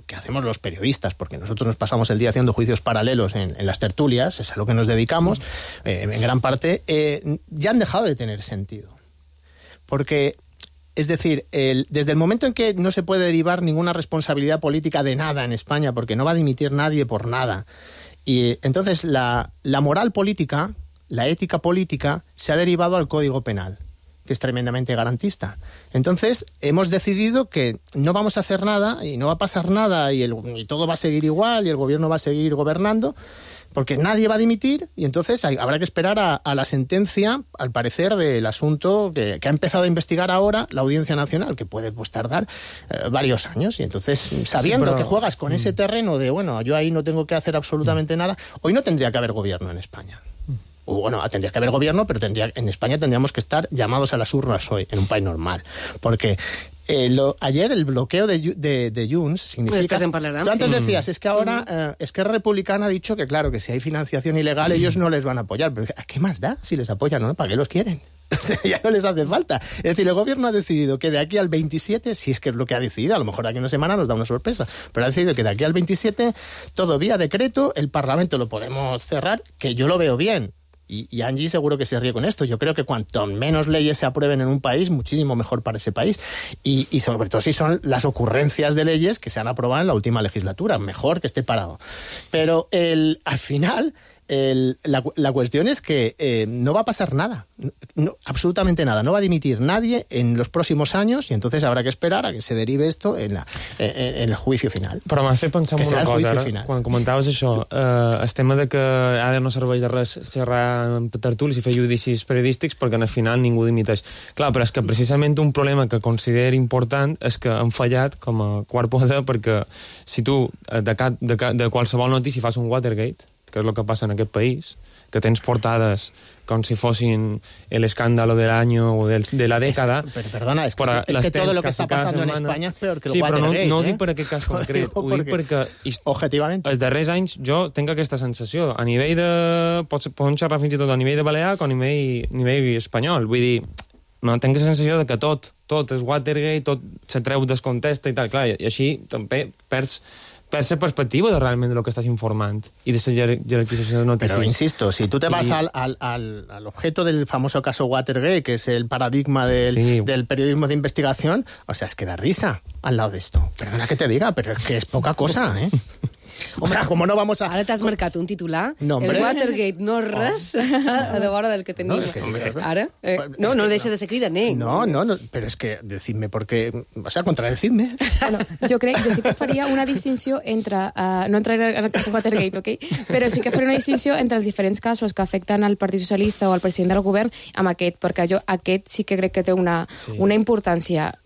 que hacemos los periodistas, porque nosotros nos pasamos el día haciendo juicios paralelos en, en las tertulias, es a lo que nos dedicamos, eh, en gran parte, eh, ya han dejado de tener sentido. Porque, es decir, el, desde el momento en que no se puede derivar ninguna responsabilidad política de nada en España, porque no va a dimitir nadie por nada, y entonces la, la moral política, la ética política, se ha derivado al Código Penal, que es tremendamente garantista. Entonces, hemos decidido que no vamos a hacer nada y no va a pasar nada y, el, y todo va a seguir igual y el gobierno va a seguir gobernando porque nadie va a dimitir y entonces hay, habrá que esperar a, a la sentencia, al parecer, del asunto que, que ha empezado a investigar ahora la Audiencia Nacional, que puede pues, tardar eh, varios años. Y entonces, sabiendo sí, pero... que juegas con mm. ese terreno de, bueno, yo ahí no tengo que hacer absolutamente mm. nada, hoy no tendría que haber gobierno en España. Bueno, tendría que haber gobierno, pero tendría, en España tendríamos que estar llamados a las urnas hoy, en un país normal. Porque eh, lo, ayer el bloqueo de, de, de Junts significa... Pues parlarem, tú antes sí. decías, es que ahora eh, Esquerra Republicana ha dicho que, claro, que si hay financiación ilegal, ellos no les van a apoyar. Pero ¿a qué más da si les apoyan o no? ¿Para qué los quieren? O sea, ya no les hace falta. Es decir, el gobierno ha decidido que de aquí al veintisiete, si es que es lo que ha decidido, a lo mejor de aquí a una semana nos da una sorpresa, pero ha decidido que de aquí al veintisiete, todo vía decreto, el Parlamento lo podemos cerrar, que yo lo veo bien. Y, y Angie seguro que se ríe con esto. Yo creo que cuanto menos leyes se aprueben en un país, muchísimo mejor para ese país. Y, y sobre todo si son las ocurrencias de leyes que se han aprobado en la última legislatura. Mejor que esté parado. Pero el, al final... El, la, la cuestión es que eh, no va a pasar nada, no, absolutamente nada, no va a dimitir nadie en los próximos años y entonces habrá que esperar a que se derive esto en, la, en, en el juicio final. Però m'ha fet pensar en una cosa, ara, final. quan comentaves això, eh, el tema de que ara no serveix de res xerrar en tertulis i fer judicis periodístics perquè al final ningú dimiteix. Clar, però és que precisament un problema que considero important és que han fallat com a quart poder perquè si tu de, cap, de, de qualsevol notícia fas un Watergate, que és el que passa en aquest país, que tens portades com si fossin el escándalo del año o del, de la dècada. Es, pero, perdona, es que, es que todo lo que está pasando en España es peor que el sí, Watergate. Sí, però no, no ho eh? dic per aquest cas concret, ho dic perquè objetivament els darrers anys jo tinc aquesta sensació. A nivell de... Pots, podem xerrar fins i tot a nivell de balear com a nivell, nivell espanyol. Vull dir, no, tinc la sensació de que tot, tot és Watergate, tot se treu descontesta i tal. Clar, i així també perds... per esa perspectiva de realmente lo que estás informando y de esa jerarquización de noticias. Pero insisto, si tú te vas al, al, al, al objeto del famoso caso Watergate, que es el paradigma del, sí. del periodismo de investigación, o sea, es que da risa al lado de esto. Perdona que te diga, pero es que es poca cosa, ¿eh? O sea, como no vamos a... Ara t'has marcat un titular. No, el Watergate no és res oh. a de vora del que tenim. No, que, Ara? Eh, no, no deixa de ser cridaner. No, no, no, pero es que decidme porque... O sea, contradecidme. Bueno, jo crec, jo sí que faria una distinció entre... Uh, no entraré en el cas Watergate, ok? Però sí que faria una distinció entre els diferents casos que afecten al Partit Socialista o al president del govern amb aquest, perquè jo aquest sí que crec que té una, sí. una importància...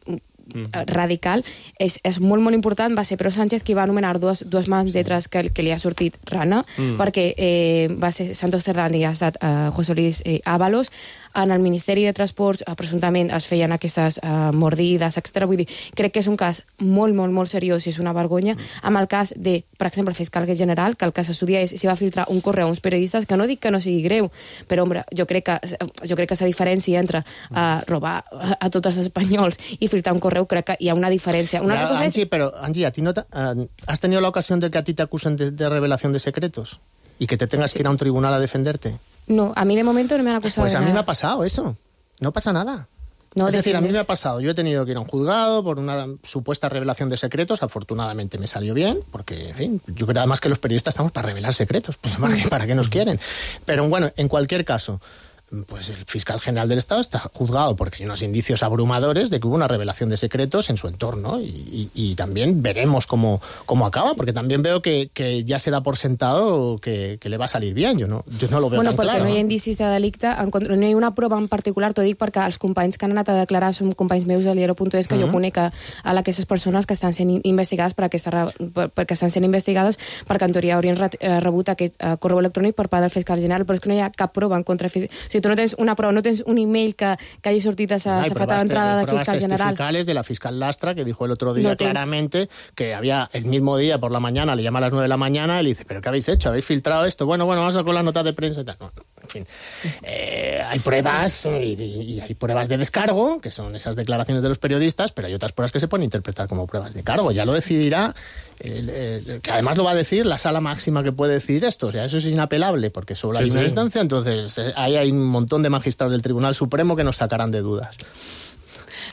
Mm-hmm. radical, és, és molt, molt important. Va ser Pedro Sánchez qui va anomenar dues, dues mans lletres que, que li ha sortit rana, mm. perquè eh, va ser Santos Cerdán i ha estat eh, José Luis eh, Ábalos. En el Ministeri de Transports eh, presumptament es feien aquestes eh, mordides, etcètera. Vull dir, crec que és un cas molt, molt, molt seriós i és una vergonya. Mm. Amb el cas de, per exemple, el fiscal general, que el que s'estudia és si va filtrar un correu a uns periodistes, que no dic que no sigui greu, però, home, jo crec que jo crec que la diferència entre eh, robar a, a tots els espanyols i filtrar un correu, crec que hi ha una diferència. Una ya, cosa Angie, es... pero, Angie, ¿a ti no te, uh, ¿has tenido la ocasión de que a ti te acusen de, de revelación de secretos? ¿Y que te tengas sí. que ir a un tribunal a defenderte? No, a mí de momento no me han acusado Pues de a mí nada. me ha pasado eso. No pasa nada. No es decir, a mí defiendes. me ha pasado, yo he tenido que ir a un juzgado por una supuesta revelación de secretos, afortunadamente me salió bien, porque, en fin, yo creo además que los periodistas estamos para revelar secretos, pues ¿para qué nos quieren? Pero bueno, en cualquier caso, pues el fiscal general del Estado está juzgado porque hay unos indicios abrumadores de que hubo una revelación de secretos en su entorno y, y, y también veremos cómo, cómo acaba, porque también veo que, que ja se da por sentado que, que le va a salir bien, jo no, jo no lo veo bueno, tan claro. Bueno, perquè no hi ha indicis de delicte, en contra, no hi ha una prova en particular, t'ho dic perquè els companys que han anat a declarar són companys meus de Liero punt es, que uh -huh. jo conec a, a aquestes persones que estan sent investigades per aquesta, per, perquè estan sent investigades perquè en teoria haurien rebut aquest uh, correu electrònic per part del fiscal general, però és que no hi ha cap prova en contra. O sigui, tu no tens una prova, no tens un email que, que hagi sortit a sa, sa fatal entrada del fiscal general. Testificales de la fiscal Lastra, que dijo el otro día no claramente que había el mismo día por la mañana, le llama a las nueve de la mañana y le dice, ¿pero qué habéis hecho? ¿Habéis filtrado esto? Bueno, bueno, vamos a con la nota de prensa y tal. Bueno, en fin, eh, hay pruebas y, y hay pruebas de descargo, que son esas declaraciones de los periodistas, pero hay otras pruebas que se pueden interpretar como pruebas de cargo. Ya lo decidirá, eh, eh, que además lo va a decir la sala máxima que puede decir esto. O sea, eso es inapelable, porque solo sí, hay una sí. instancia, entonces eh, ahí hay un montón de magistrados del Tribunal Supremo que nos sacarán de dudas.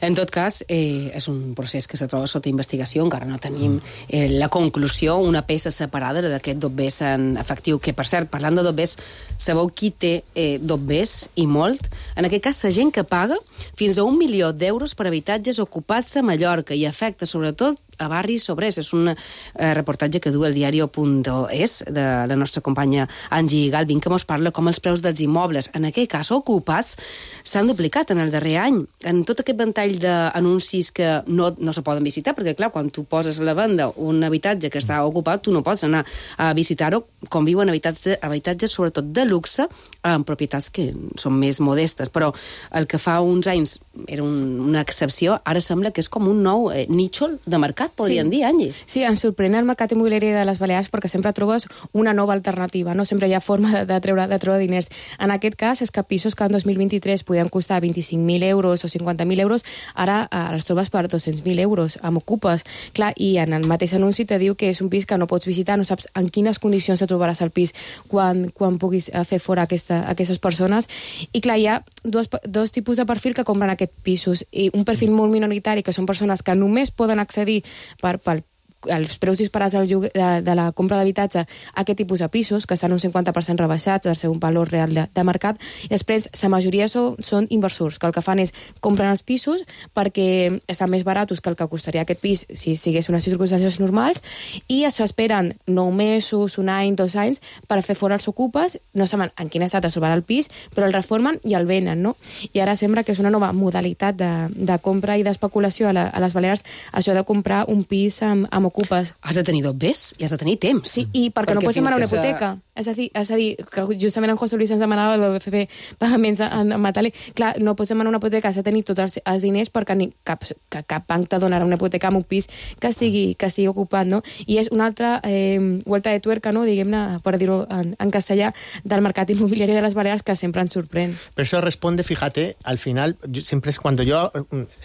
En tot cas, eh, és un procés que se troba sota investigació, encara no tenim eh, la conclusió, una peça separada d'aquest dobbers en efectiu, que, per cert, parlant de dobbers, sabeu qui té eh, dobbers i molt? En aquest cas, la gent que paga fins a un milió d'euros per habitatges ocupats a Mallorca i afecta, sobretot, a barris sobrers. És un eh, reportatge que du el diario punt es de la nostra companya Angie Galvin, que mos parla com els preus dels immobles, en aquell cas ocupats, s'han duplicat en el darrer any. En tot aquest ventall d'anuncis que no, no se poden visitar, perquè, clar, quan tu poses a la venda un habitatge que està ocupat, tu no pots anar a visitar-ho, com viuen habitatges, habitatges sobretot de luxe, en propietats que són més modestes. Però el que fa uns anys era un, una excepció, ara sembla que és com un nou eh, nítxol de mercat, podríem sí. dir, Angie. Sí, ens sorprèn el mercat immobiliari de les Balears perquè sempre trobes una nova alternativa, no? Sempre hi ha forma de, de, treure, de treure diners. En aquest cas, és que pisos que en dos mil vint-i-tres podien costar vint-i-cinc mil euros o cinquanta mil euros, ara eh, els trobes per dos-cents mil euros, amb ocupes. Clar, i en el mateix anunci te diu que és un pis que no pots visitar, no saps en quines condicions te trobaràs al pis quan, quan puguis fer fora aquesta, aquestes persones. I clar, hi ha dos, dos tipus de perfil que compren aquests pisos, i un perfil molt minoritari, que són persones que només poden accedir per, per els preus disparats del lloguer, de, de la compra d'habitatge a aquest tipus de pisos, que estan un cinquanta per cent rebaixats del seu valor real de, de mercat, i després la majoria són, són inversors, que el que fan és compren els pisos perquè estan més baratos que el que costaria aquest pis si sigués unes circumstàncies normals, i això esperen nou mesos, un any, dos anys, per fer fora els ocupes, no saben en quin estat es trobarà el pis, però el reformen i el venen, no? I ara sembla que és una nova modalitat de, de compra i d'especulació a, la, a les Balears, això de comprar un pis amb, amb ocupes. Has de tenir dobbers i has de tenir temps. Sí, i perquè, perquè no pots demanar una hipoteca. Se... És a dir, és a dir, que justament en José Luis ens demanava el B F F pagaments en, en metàl·lic. Clar, no pots demanar una hipoteca, has de tenir tots els, els diners perquè ni cap, que cap banc te donarà una hipoteca amb un pis que estigui, que estigui ocupat, no? I és una altra eh, vuelta de tuerca, no? Diguem-ne, per dir-ho en, en castellà, del mercat inmobiliari de les Balears, que sempre ens sorprèn. Pero eso responde, fíjate, al final, yo, siempre es cuando yo,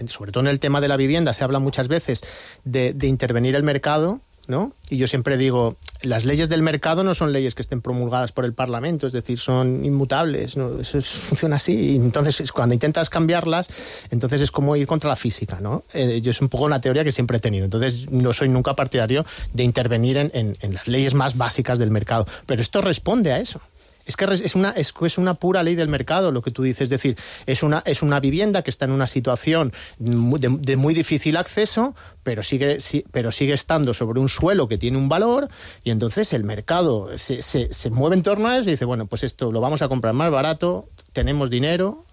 sobre todo en el tema de la vivienda, se habla muchas veces de, de intervenir el mercado, ¿no? Y yo siempre digo, las leyes del mercado no son leyes que estén promulgadas por el Parlamento, es decir, son inmutables, ¿no? Eso es, funciona así. Y entonces, cuando intentas cambiarlas, entonces es como ir contra la física, ¿no? Eh, yo es un poco una teoría que siempre he tenido. Entonces, no soy nunca partidario de intervenir en, en, en las leyes más básicas del mercado. Pero esto responde a eso. Es que es una, es, es una pura ley del mercado lo que tú dices, es decir, es una, es una vivienda que está en una situación de, de muy difícil acceso, pero sigue, si, pero sigue estando sobre un suelo que tiene un valor, y entonces el mercado se, se, se mueve en torno a eso y dice, bueno, pues esto lo vamos a comprar más barato, tenemos dinero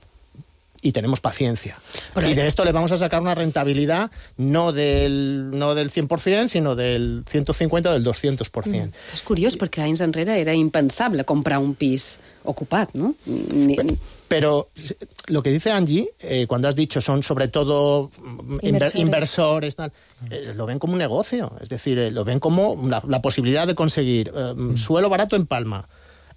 y tenemos paciencia. Pero y de esto le vamos a sacar una rentabilidad no del, no del cent per cent, sinó del ciento cincuenta o del doscientos por cent. Mm. És curiós, perquè anys enrere era impensable comprar un pis ocupat, ¿no? Ni... Pero, pero lo que dice Angie, eh, cuando has dicho son sobre todo inversores, inversores tal, eh, lo ven como un negocio. Es decir, eh, lo ven como la, la posibilidad de conseguir eh, mm. suelo barato en Palma,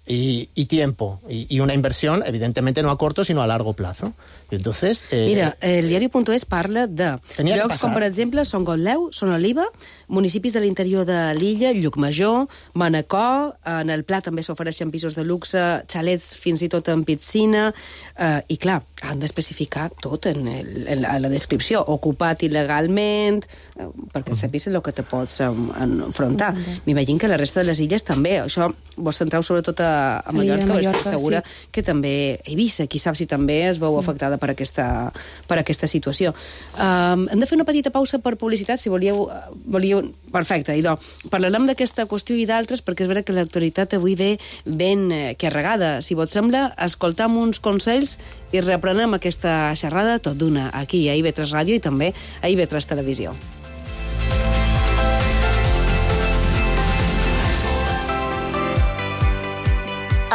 y, y tiempo y, y una inversión, evidentemente no a corto, sino a largo plazo. Y entonces... Eh, Mira, el diari.es parla de llocs com, per exemple, Son Gotleu, Son Oliva, municipis de l'interior de l'illa, Llucmajor, Manacor, en el Pla també s'ofereixen pisos de luxe, xalets fins i tot en piscina, eh, i clar, han d'especificar tot en, el, en, la, en la descripció, ocupat il·legalment, eh, perquè sapis el que te pots enfrontar. M'imagino que la resta de les illes també. Això vos centreu sobretot a, a Mallorca, però estic segura sí. que també Eivissa, qui sap si també es veu afectada per aquesta, per aquesta situació. Um, hem de fer una petita pausa per publicitat, si volíeu... volíeu... Perfecte, idò. Parlarem d'aquesta qüestió i d'altres, perquè és vera que l'actualitat avui ve ben eh, carregada. Si vos sembla, escoltam uns consells i reprenem aquesta xerrada tot d'una aquí a I V tres Ràdio i també a I V tres Televisió.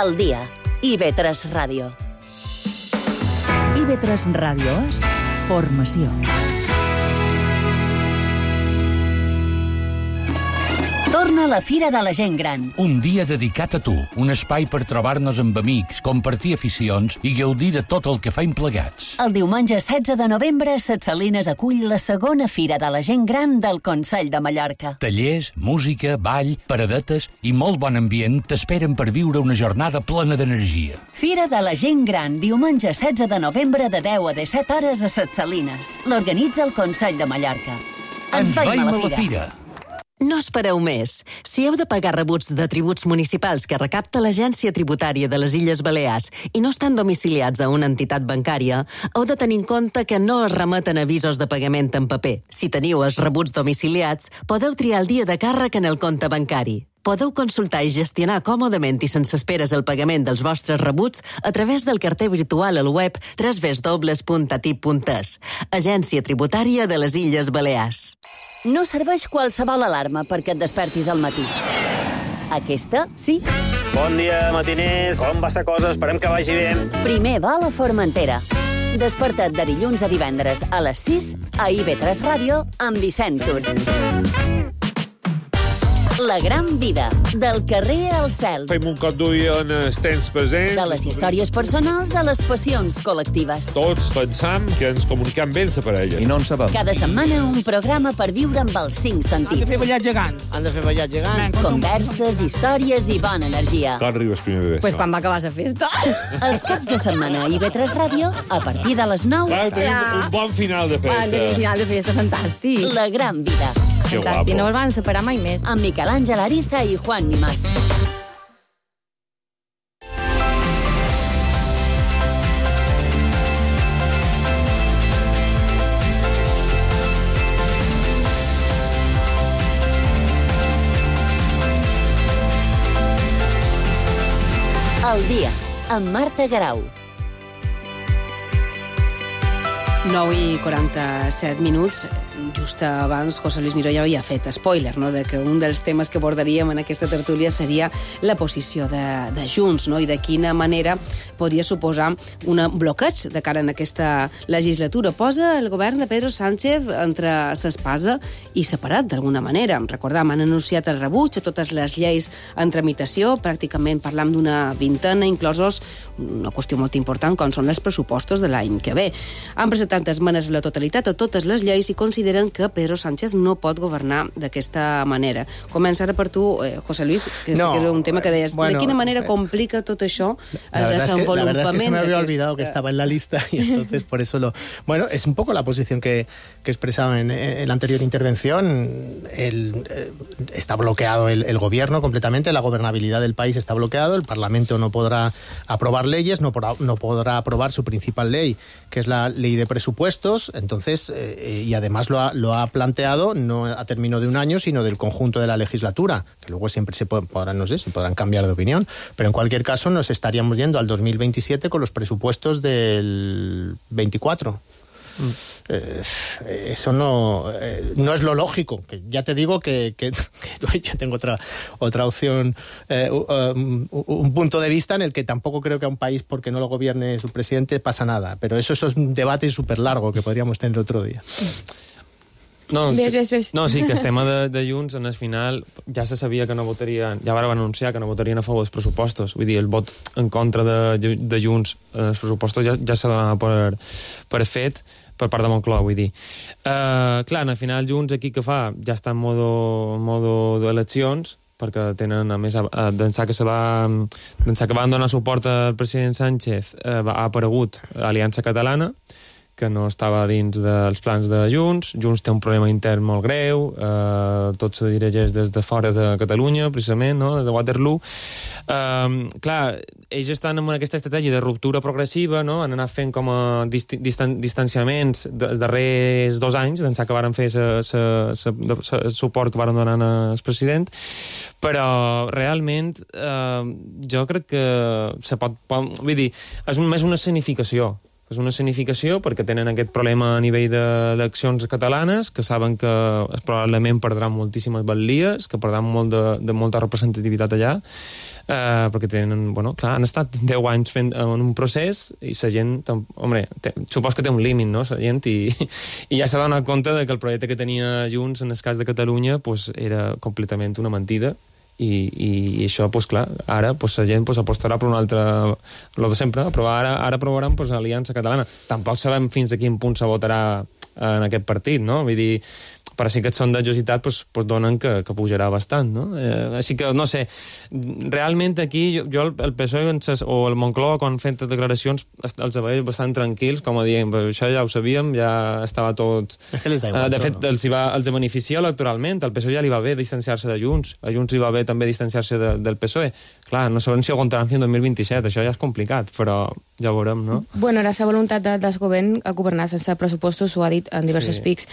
Al dia, I V tres Ràdio. I V tres Ràdio és formació. Torna la Fira de la Gent Gran. Un dia dedicat a tu, un espai per trobar-nos amb amics, compartir aficions i gaudir de tot el que faim plegats. El diumenge setze de novembre, Ses Salines acull la segona Fira de la Gent Gran del Consell de Mallorca. Tallers, música, ball, paradetes i molt bon ambient t'esperen per viure una jornada plena d'energia. Fira de la Gent Gran, diumenge setze de novembre de deu a disset hores a Ses Salines. L'organitza el Consell de Mallorca. Ens, Ens veiem a la Fira. A la fira. No espereu més. Si heu de pagar rebuts de tributs municipals que recapta l'Agència Tributària de les Illes Balears i no estan domiciliats a una entitat bancària, heu de tenir en compte que no es remeten avisos de pagament en paper. Si teniu els rebuts domiciliats, podeu triar el dia de càrrec en el compte bancari. Podeu consultar i gestionar còmodament i sense esperes el pagament dels vostres rebuts a través del carter virtual al web w w w punt a t i p punt e s. Agència Tributària de les Illes Balears. No serveix qualsevol alarma perquè et despertis al matí. Aquesta, sí. Bon dia, matiners. Com va la cosa? Esperem que vagi bé. Primer vol a Formentera. Desperta't de dilluns a divendres a les sis a I V tres Ràdio amb Vicent Tur. La gran vida, del carrer al cel. Fem un cop d'ull en els temps presents. De les històries personals a les passions col·lectives. Tots pensam que ens comunicam bé la parella. I no en sabem. Cada setmana un programa per viure amb els cinc sentits. Han de fer ballar gegants. Han de fer ballar gegants. Converses, històries i bona energia. Quan arribes primer bebè? Pues quan va acabar la festa. Els caps de setmana a I V tres Ràdio, a partir de les nou. Clar, tenim ja. un bon final de festa. Un final de festa fantàstic. La gran vida. Que guapo. I no el van separar mai més. Amb Miquel Àngel Ariza i Juan Nimás. El dia, amb Marta Garau. nou i quaranta-set minuts. Just abans José Luis Miró ja havia fet spoiler, no?, de que un dels temes que abordaríem en aquesta tertúlia seria la posició de, de Junts, no?, i de quina manera podria suposar un bloqueig de cara en aquesta legislatura. Posa el govern de Pedro Sánchez entre s'espasa i separat, d'alguna manera. Recordam, han anunciat el rebuig a totes les lleis en tramitació, pràcticament parlam d'una vintena, inclosos una qüestió molt important, com són els pressupostos de l'any que ve. Han presentat esmenes a la totalitat a totes les lleis i consideren que Pedro Sánchez no pot governar d'aquesta manera. Comença ara per tu, eh, José Luis, que no, sí que és un tema que deies. Bueno, ¿de quina manera complica tot això el desenvolupament? La verdad es que se me había olvidado que estaba en la lista y entonces por eso lo... Bueno, es un poco la posición que, que expresaba en, en la anterior intervención. El, eh, está bloqueado el, el gobierno completamente, la gobernabilidad del país está bloqueado, el Parlamento no podrá aprobar leyes, no podrá, no podrá aprobar su principal ley, que es la ley de presupuestos, entonces, eh, y además lo ha, lo ha planteado no a término de un año, sino del conjunto de la legislatura, que luego siempre se podrán, no sé, se podrán cambiar de opinión, pero en cualquier caso nos estaríamos yendo al dos mil veintisiete con los presupuestos del veinticuatro. Mm. Eh, eso no, eh, no es lo lógico. Que ya te digo que, que, que yo tengo otra, otra opción, eh, um, un punto de vista en el que tampoco creo que a un país, porque no lo gobierne su presidente, pasa nada. Pero eso, eso es un debate súper largo que podríamos tener otro día. No, ves, ves, ves. no, sí, que el tema de, de Junts, en el final, ja se sabia que no votarien, ja van anunciar que no votarien a favor dels pressupostos. Vull dir, el vot en contra de, de Junts als pressupostos ja, ja s'ha donat per, per fet per part de Moncloa, vull dir. Uh, clar, al final Junts aquí que fa? Ja està en modo, en modo d'eleccions, perquè tenen, a més, d'ençà que se va, d'ençà que van donar suport al president Sánchez, eh, ha aparegut Aliança Catalana, que no estava dins dels plans de Junts. Junts té un problema intern molt greu, eh, tot se dirigeix des de fora de Catalunya, precisament, no? Des de Waterloo. Eh, clar, ells estan en aquesta estratègia de ruptura progressiva, no? Han anat fent com a dist distan distanciaments dels darrers dos anys, d'ençà que varen fer el suport que varen donar al president, però realment eh, jo crec que se pot, pot... Vull dir, és més una escenificació. És una escenificació perquè tenen aquest problema a nivell d'eleccions catalanes, que saben que probablement perdran moltíssimes batlies, que perdran molt de, de molta representativitat allà, eh, perquè tenen, bueno, clar, han estat deu anys fent en un procés i la gent, home, té, supos que té un límit, no?, la gent, i, i ja s'ha donat compte de que el projecte que tenia Junts, en el cas de Catalunya, pues, era completament una mentida. I, i, i això, pues, clar, ara pues, la gent pues, apostarà per un altre... Lo de sempre, però ara, ara aprovaran pues, Aliança Catalana. Tampoc sabem fins a quin punt se votarà en aquest partit, no? Vull dir, però sí que els sondejos i tal pues, pues donen que, que pujarà bastant, no? Eh, així que, no sé, realment aquí jo, jo el P S O E o el Moncloa, quan han fet declaracions, els veig bastant tranquils, com a dient, això ja ho sabíem, ja estava tot... És que les da igual, eh, de fet, els, va, els beneficia electoralment, al P S O E ja li va bé distanciar-se de Junts, a Junts li va bé també distanciar-se de, del P S O E. Clar, no sabem si ho aguantaran fins al dos mil vint-i-set, això ja és complicat, però ja ho veurem, no? Bueno, la seva voluntat de, del govern a governar sense pressupostos ho ha dit en diversos sí. pics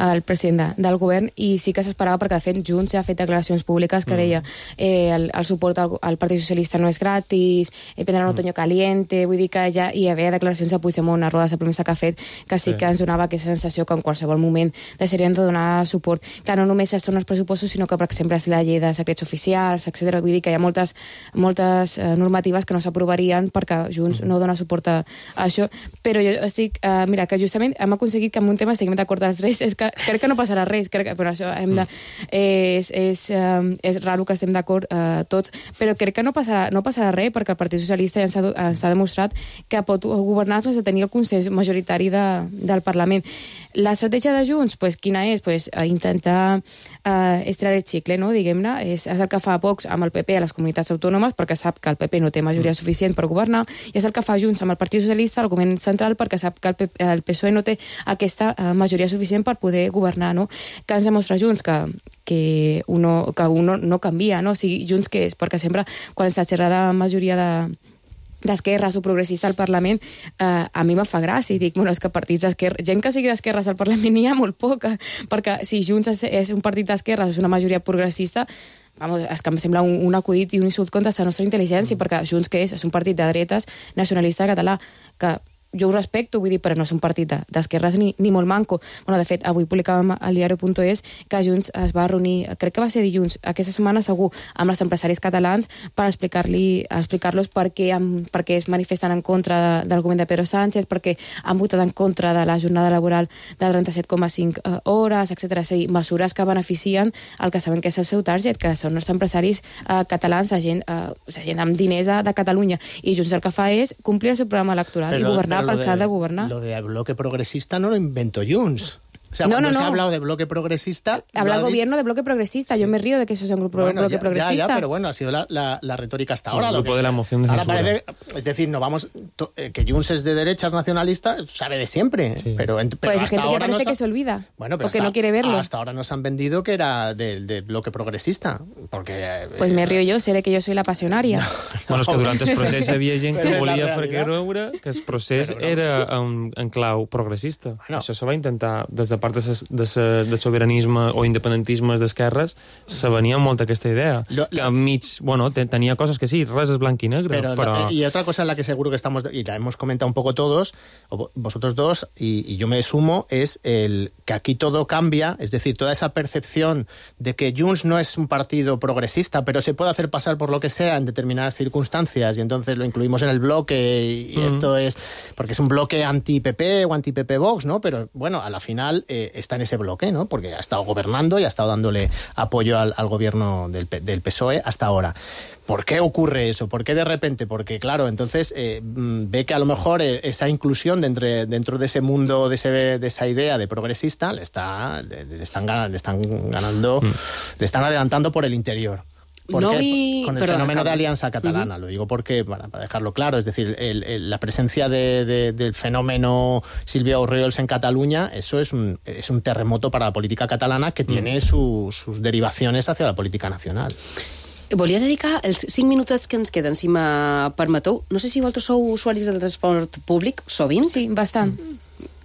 el president de, del govern, i sí que s'esperava, perquè de fet Junts ja ha fet declaracions públiques que mm. deia eh, el, el suport al, al Partit Socialista no és gratis, eh, prendran un mm. otoño caliente, vull dir que ja hi havia declaracions a Puigdemont, una roda de premsa que ha fet, que sí, sí que ens donava aquesta sensació que en qualsevol moment deixarien de donar suport. Clar, no només són els pressupostos, sinó que, per exemple, és la llei de secrets oficials, etcètera. Vull dir que hi ha moltes, moltes eh, normatives que no s'aprovarien perquè Junts mm. no dona suport a, a això, però jo estic, eh, mira, que justament hem aconseguit que en un tema estiguem d'acord els tres, és que crec que no passarà res, crec que, però això hem de, és, és, um, és raro que estem d'acord uh, tots, però crec que no passarà, no passarà res, perquè el Partit Socialista ja s'ha demostrat que pot governar sense tenir el consens majoritari de, del Parlament. L'estratègia de Junts, pues, quina és? Pues, intentar uh, estirar el xicle, no? Diguem-ne, és, és el que fa Vox amb el P P a les comunitats autònomes, perquè sap que el P P no té majoria suficient per governar, i és el que fa Junts amb el Partit Socialista, el govern central, perquè sap que el, P P, el P S O E no té aquesta uh, majoria suficient per poder governar, no? Que ens demostra Junts que, que, uno, que uno no canvia, no? O sigui, Junts què és? Perquè sempre, quan s'ha xerrat la majoria de d'esquerres o progressista al Parlament, eh, a mi me fa gràcia, i dic, bueno, és que partits d'esquerra, gent que sigui d'esquerres al Parlament n'hi ha molt poca, perquè si Junts és, és un partit d'esquerres, és una majoria progressista, vamos, és que em sembla un, un acudit i un insult contra la nostra intel·ligència, mm. perquè Junts què és? És un partit de dretes nacionalista català, que jo ho respecto, vull dir, però no és un partit d'esquerres ni, ni molt manco. Bueno, de fet, avui publicàvem al diari punt es que Junts es va reunir, crec que va ser dilluns, aquesta setmana segur, amb els empresaris catalans per explicar-li, explicar-los per què, per què es manifesten en contra del govern de Pedro Sánchez, perquè han votat en contra de la jornada laboral de trenta-set coma cinc hores, etcètera. És a dir, mesures que beneficien el que sabem que és el seu target, que són els empresaris eh, catalans, la gent, eh, la gent amb diners de, de Catalunya. I Junts el que fa és complir el seu programa electoral però, i governar pel que ha de gobernar. Lo de bloque progresista no lo inventó Junts. O sea, no, cuando no, se no. ha hablado de bloque progresista... Habla el gobierno de bloque progresista. Yo me río de que eso sea un grupo bueno, bloque ya, progresista. Ya, ya, pero bueno, ha sido la, la, la retórica hasta ahora. El grupo que, de la moción de censura. Parece, es decir, no vamos... To, eh, que Junts es de derechas nacionalista, sabe de siempre. Sí. Pero, en, pero pues hay hasta gente que ahora parece nos ha, que se olvida. Bueno, pero o que hasta, no quiere verlo. Hasta ahora nos han vendido que era del de bloque progresista. Porque... Eh, pues me río yo, seré que yo soy la pasionaria. No, bueno, és que durant el procés hi havia gent que volia fer creure que el procés no. era en, en clau progressista. Bueno. Això se va intentar, des de part de, ses, de, ses, de sobiranisme o independentisme d'esquerres, se venia molt aquesta idea. Lo, que enmig, bueno, te, tenía cosas que sí, res es blanc y negro. Pero, pero... La, y otra cosa en la que seguro que estamos, y la hemos comentado un poco todos, o vosotros dos, y, y yo me sumo, es el que aquí todo cambia, es decir, toda esa percepción de que Junts no es un partido progresista, pero se puede hacer pasar por lo que sea en determinadas circunstancias, y entonces lo incluimos en el bloque, y, y mm. esto es, porque es un bloque anti-P P o anti-P P Vox, ¿no? Pero, bueno, a la final, eh, está en ese bloque, ¿no? Porque ha estado gobernando y ha estado dándole apoyo al, al gobierno del, del P S O E hasta ahora. ¿Por qué ocurre eso? ¿Por qué de repente? Porque, claro, entonces eh, ve que a lo mejor eh, esa inclusión dentro, dentro de ese mundo, de, ese, de esa idea de progresista, le, está, le, le, están, le están ganando, mm. le están adelantando por el interior. No Porque, vi... Con el Perdón, fenómeno acabo. de Alianza Catalana, uh-huh. lo digo porque, para, para dejarlo claro, es decir, el, el, la presencia de, de, del fenómeno Sílvia Orriols en Cataluña, eso es un, es un terremoto para la política catalana que tiene mm. su, sus derivaciones hacia la política nacional. Volia dedicar els cinc minutets que ens queden, si me permeteu. No sé si vosaltres sou usuaris del transport públic, sovint? Sí, bastant.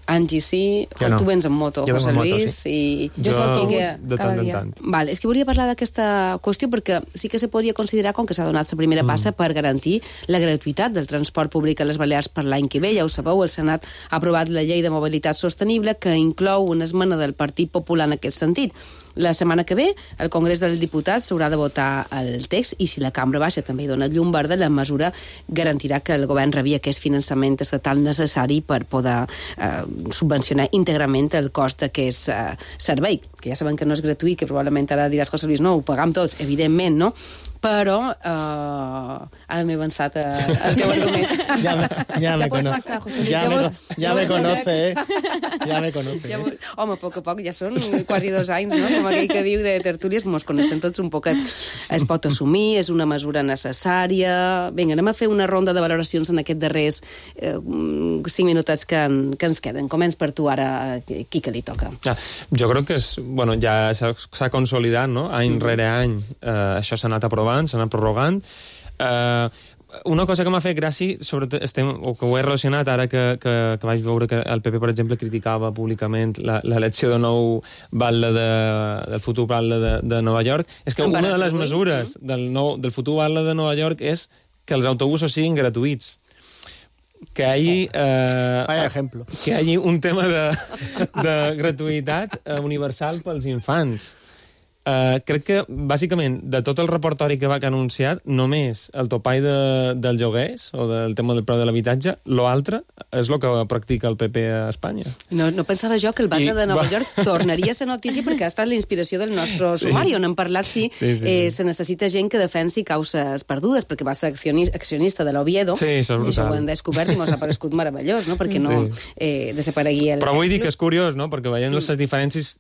Angie, sí. Jo no. Tu vens en moto, jo José en moto, Luis. sí. I... Jo soc que... de tant en tant. Vale, és que volia parlar d'aquesta qüestió perquè sí que se podria considerar com que s'ha donat la primera passa mm. per garantir la gratuïtat del transport públic a les Balears per l'any que ve. Ja ho sabeu, el Senat ha aprovat la llei de mobilitat sostenible que inclou una esmena del Partit Popular en aquest sentit. La setmana que ve, el Congrés dels Diputats s'haurà de votar el text i si la Cambra Baixa també hi dona llum verda, la mesura garantirà que el govern rebi aquest finançament estatal necessari per poder eh, subvencionar íntegrament el cost d'aquest eh, servei, que ja sabem que no és gratuït, que probablement ara diràs, José Luis, no, ho pagam tots, evidentment, no? Però eh, ara m'he avançat al teu argument. Ja me, ja me pots cono... marxar, José Luis. Ja, Ja me, vos- ja ja me vos conoce, veuré. eh? Ja me conoce. Ja, eh? home, a poc a poc, ja són quasi dos anys, no? Com aquell que diu de tertúlies, mos coneixem tots un poquet. Es pot assumir, és una mesura necessària... Vinga, anem a fer una ronda de valoracions en aquests darrers eh, cinc minuts que, en, que ens queden. Començ per tu ara, qui que li toca. Ja, jo crec que és, bueno, ja s'ha s'ha consolidat, no? Any rere any eh, això s'ha anat aprovant, s'ha anat prorrogant. Eh, una cosa que m'ha fet gràcia, sobretot estem, o que ho he relacionat ara que, que, que vaig veure que el P P, per exemple, criticava públicament la- l'elecció de nou batlle de, del futur batlle de, de Nova York, és que una de les mesures del, nou, del futur batlle de Nova York és que els autobusos siguin gratuïts. Que hi hagi, eh, Vaya ejemplo. que hi hagi un tema de, de gratuïtat eh, universal pels infants. Uh, crec que, bàsicament, de tot el repertori que va que ha anunciat, només el topall de, dels lloguers o del tema del preu de l'habitatge, l'altre és el que practica el P P a Espanya. No, no pensava jo que el batlle I de Nova va- York tornaria a ser notícia perquè ha estat la inspiració del nostre Sí. sumari, on hem parlat si Sí, sí, sí. eh, se necessita gent que defensi causes perdudes, perquè va ser accionis- accionista de l'Oviedo. Sí, això és I això brutal. ho hem descobert i mos ha paregut meravellós, no? Perquè no Sí. eh, desaparegui el... Però vull dir que és curiós, no?, perquè veient les diferències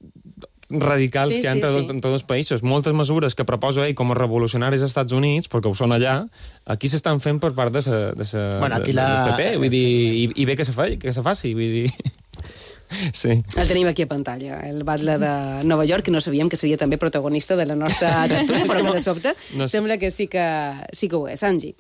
radicals Sí, que hi ha sí, entre, sí. sí. entre dos països. Moltes mesures que proposa ell com a revolucionaris als Estats Units, perquè ho són allà, aquí s'estan fent per part de sa, de sa, Bueno, aquí de, la- del P P, vull dir, i, i bé que se, fa, que se faci, vull dir... Sí. El tenim aquí a pantalla, el batlle de Nova York, que no sabíem que seria també protagonista de la nostra tertúlia, però que de sobte No sé. sembla que sí que, sí que ho és. Angie.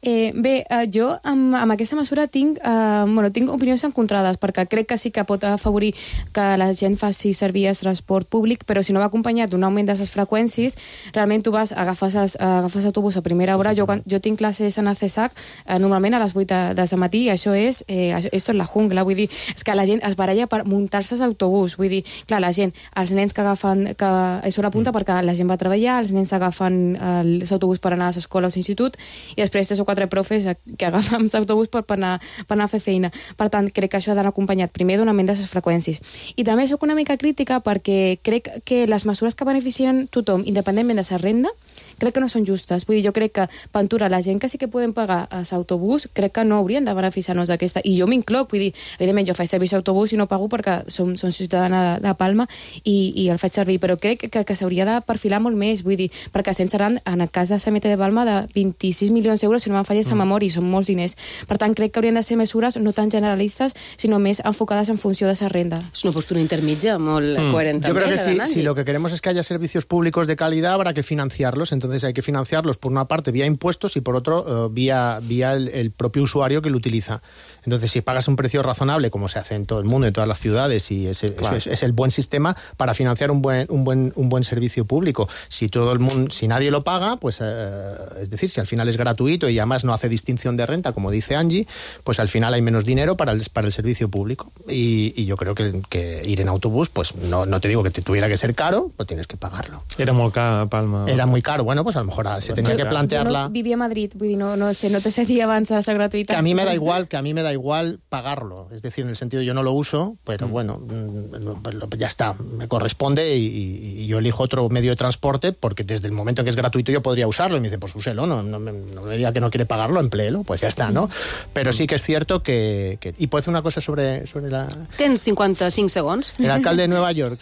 Eh, bé, eh, jo amb, amb aquesta mesura tinc, eh, bueno, tinc opinions encontrades, perquè crec que sí que pot afavorir que la gent faci servir el transport públic, però si no va acompanyat d'un augment de les freqüències, realment tu vas, agafes, es- agafes autobús a primera hora. Jo, quan, jo tinc classes en a C E S A C eh, normalment a les vuit de, de matí, i això és, eh, això, esto és la jungla, vull dir, és que la gent es baralla per muntar-se l'autobús, vull dir, clar, la gent, els nens que agafen, que és hora punta perquè la gent va a treballar, els nens agafen l'autobús per anar a l'escola o a l'institut, i després tres o quatre profes que agafen l'autobús per, per, anar, per anar a fer feina. Per tant, crec que això ha d'anar acompanyat primer d'un augment de les freqüències. I també sóc una mica crítica perquè crec que les mesures que beneficien tothom, independentment de la renda, crec que no són justes. Vull dir, jo crec que, Pantura, la gent que sí que poden pagar a l'autobús, crec que no haurien de beneficiar-nos d'aquesta. I jo m'incloc, vull dir, evidentment, jo faig servir l'autobús i no pago perquè som, som ciutadana de, de Palma i, i el faig servir, però crec que, que s'hauria de perfilar molt més, vull dir, perquè estem seran, en el cas de C M T de Palma, de vint-i-sis milions d'euros, si no me'n falles mm. a memòria, i són molts diners. Per tant, crec que haurien de ser mesures no tan generalistes, sinó més enfocades en funció de la renda. És una postura intermitja molt Hmm. coherent Yo també, creo que la si, de Nancy. si lo que queremos es que haya servicios públicos de calidad, habrá que financiarlos. Entonces hay que financiarlos por una parte vía impuestos y por otro eh, vía, vía el, el propio usuario que lo utiliza. Entonces, si pagas un precio razonable, como se hace en todo el mundo, en todas las ciudades, y ese, Claro. eso es, es el buen sistema para financiar un buen, un buen, un buen servicio público. Si todo el mundo, si nadie lo paga, pues eh, es decir, si al final es gratuito y además no hace distinción de renta, como dice Angie, pues al final hay menos dinero para el, para el servicio público. Y, y yo creo que, que ir en autobús, pues no, no te digo que te tuviera que ser caro, pero tienes que pagarlo. Era molt car a Palma. Era muy caro. Bueno, bueno, pues a lo mejor se tenía que plantearla... Yo no vivia a Madrid, vull dir, no, no sé, no te sé dir abans la gratuïtat. Que a mí me da igual, que a mí me da igual pagarlo. Es decir, en el sentido, yo no lo uso, pero mm. bueno, ya está, me corresponde y, y, y yo elijo otro medio de transporte porque desde el momento en que es gratuito yo podría usarlo. Y me dice, pues úselo, no, no, no, no me diga que no quiere pagarlo, empléelo, pues ya está, ¿no? Pero sí que es cierto que... que y puedo decir una cosa sobre, sobre la... Tens cinquanta-cinc segons. El alcalde de Nueva York.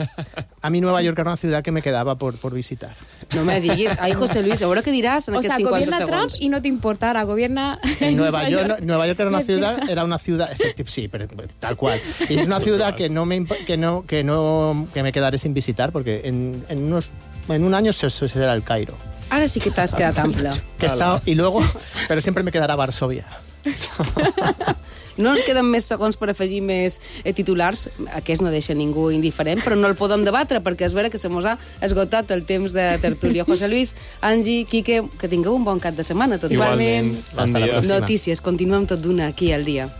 A mí Nueva York era una ciudad que me quedaba por, por visitar. No me diguis. Ay, José Luis, ahora qué dirás en o aquests sea, cinquanta gobierna segons. Trump y no te importara, gobierna... En Nueva York, York, Nueva York era una ciudad, era una ciudad, efectivamente, sí, pero tal cual. Y es una ciudad que no me que no que no que me quedaré sin visitar porque en, en unos en un año se, se será el Cairo. Ara sí que t'has quedat ample. Que está, y luego, pero siempre me quedará Varsovia. No ens queden més segons per afegir més eh, titulars. Aquest no deixa ningú indiferent, però no el podem debatre perquè és vera que se mos ha esgotat el temps de tertúlia. José Luis, Angie, Quique, que tingueu un bon cap de setmana. Tot igualment. Bon Notícies, continuem tot d'una aquí al dia.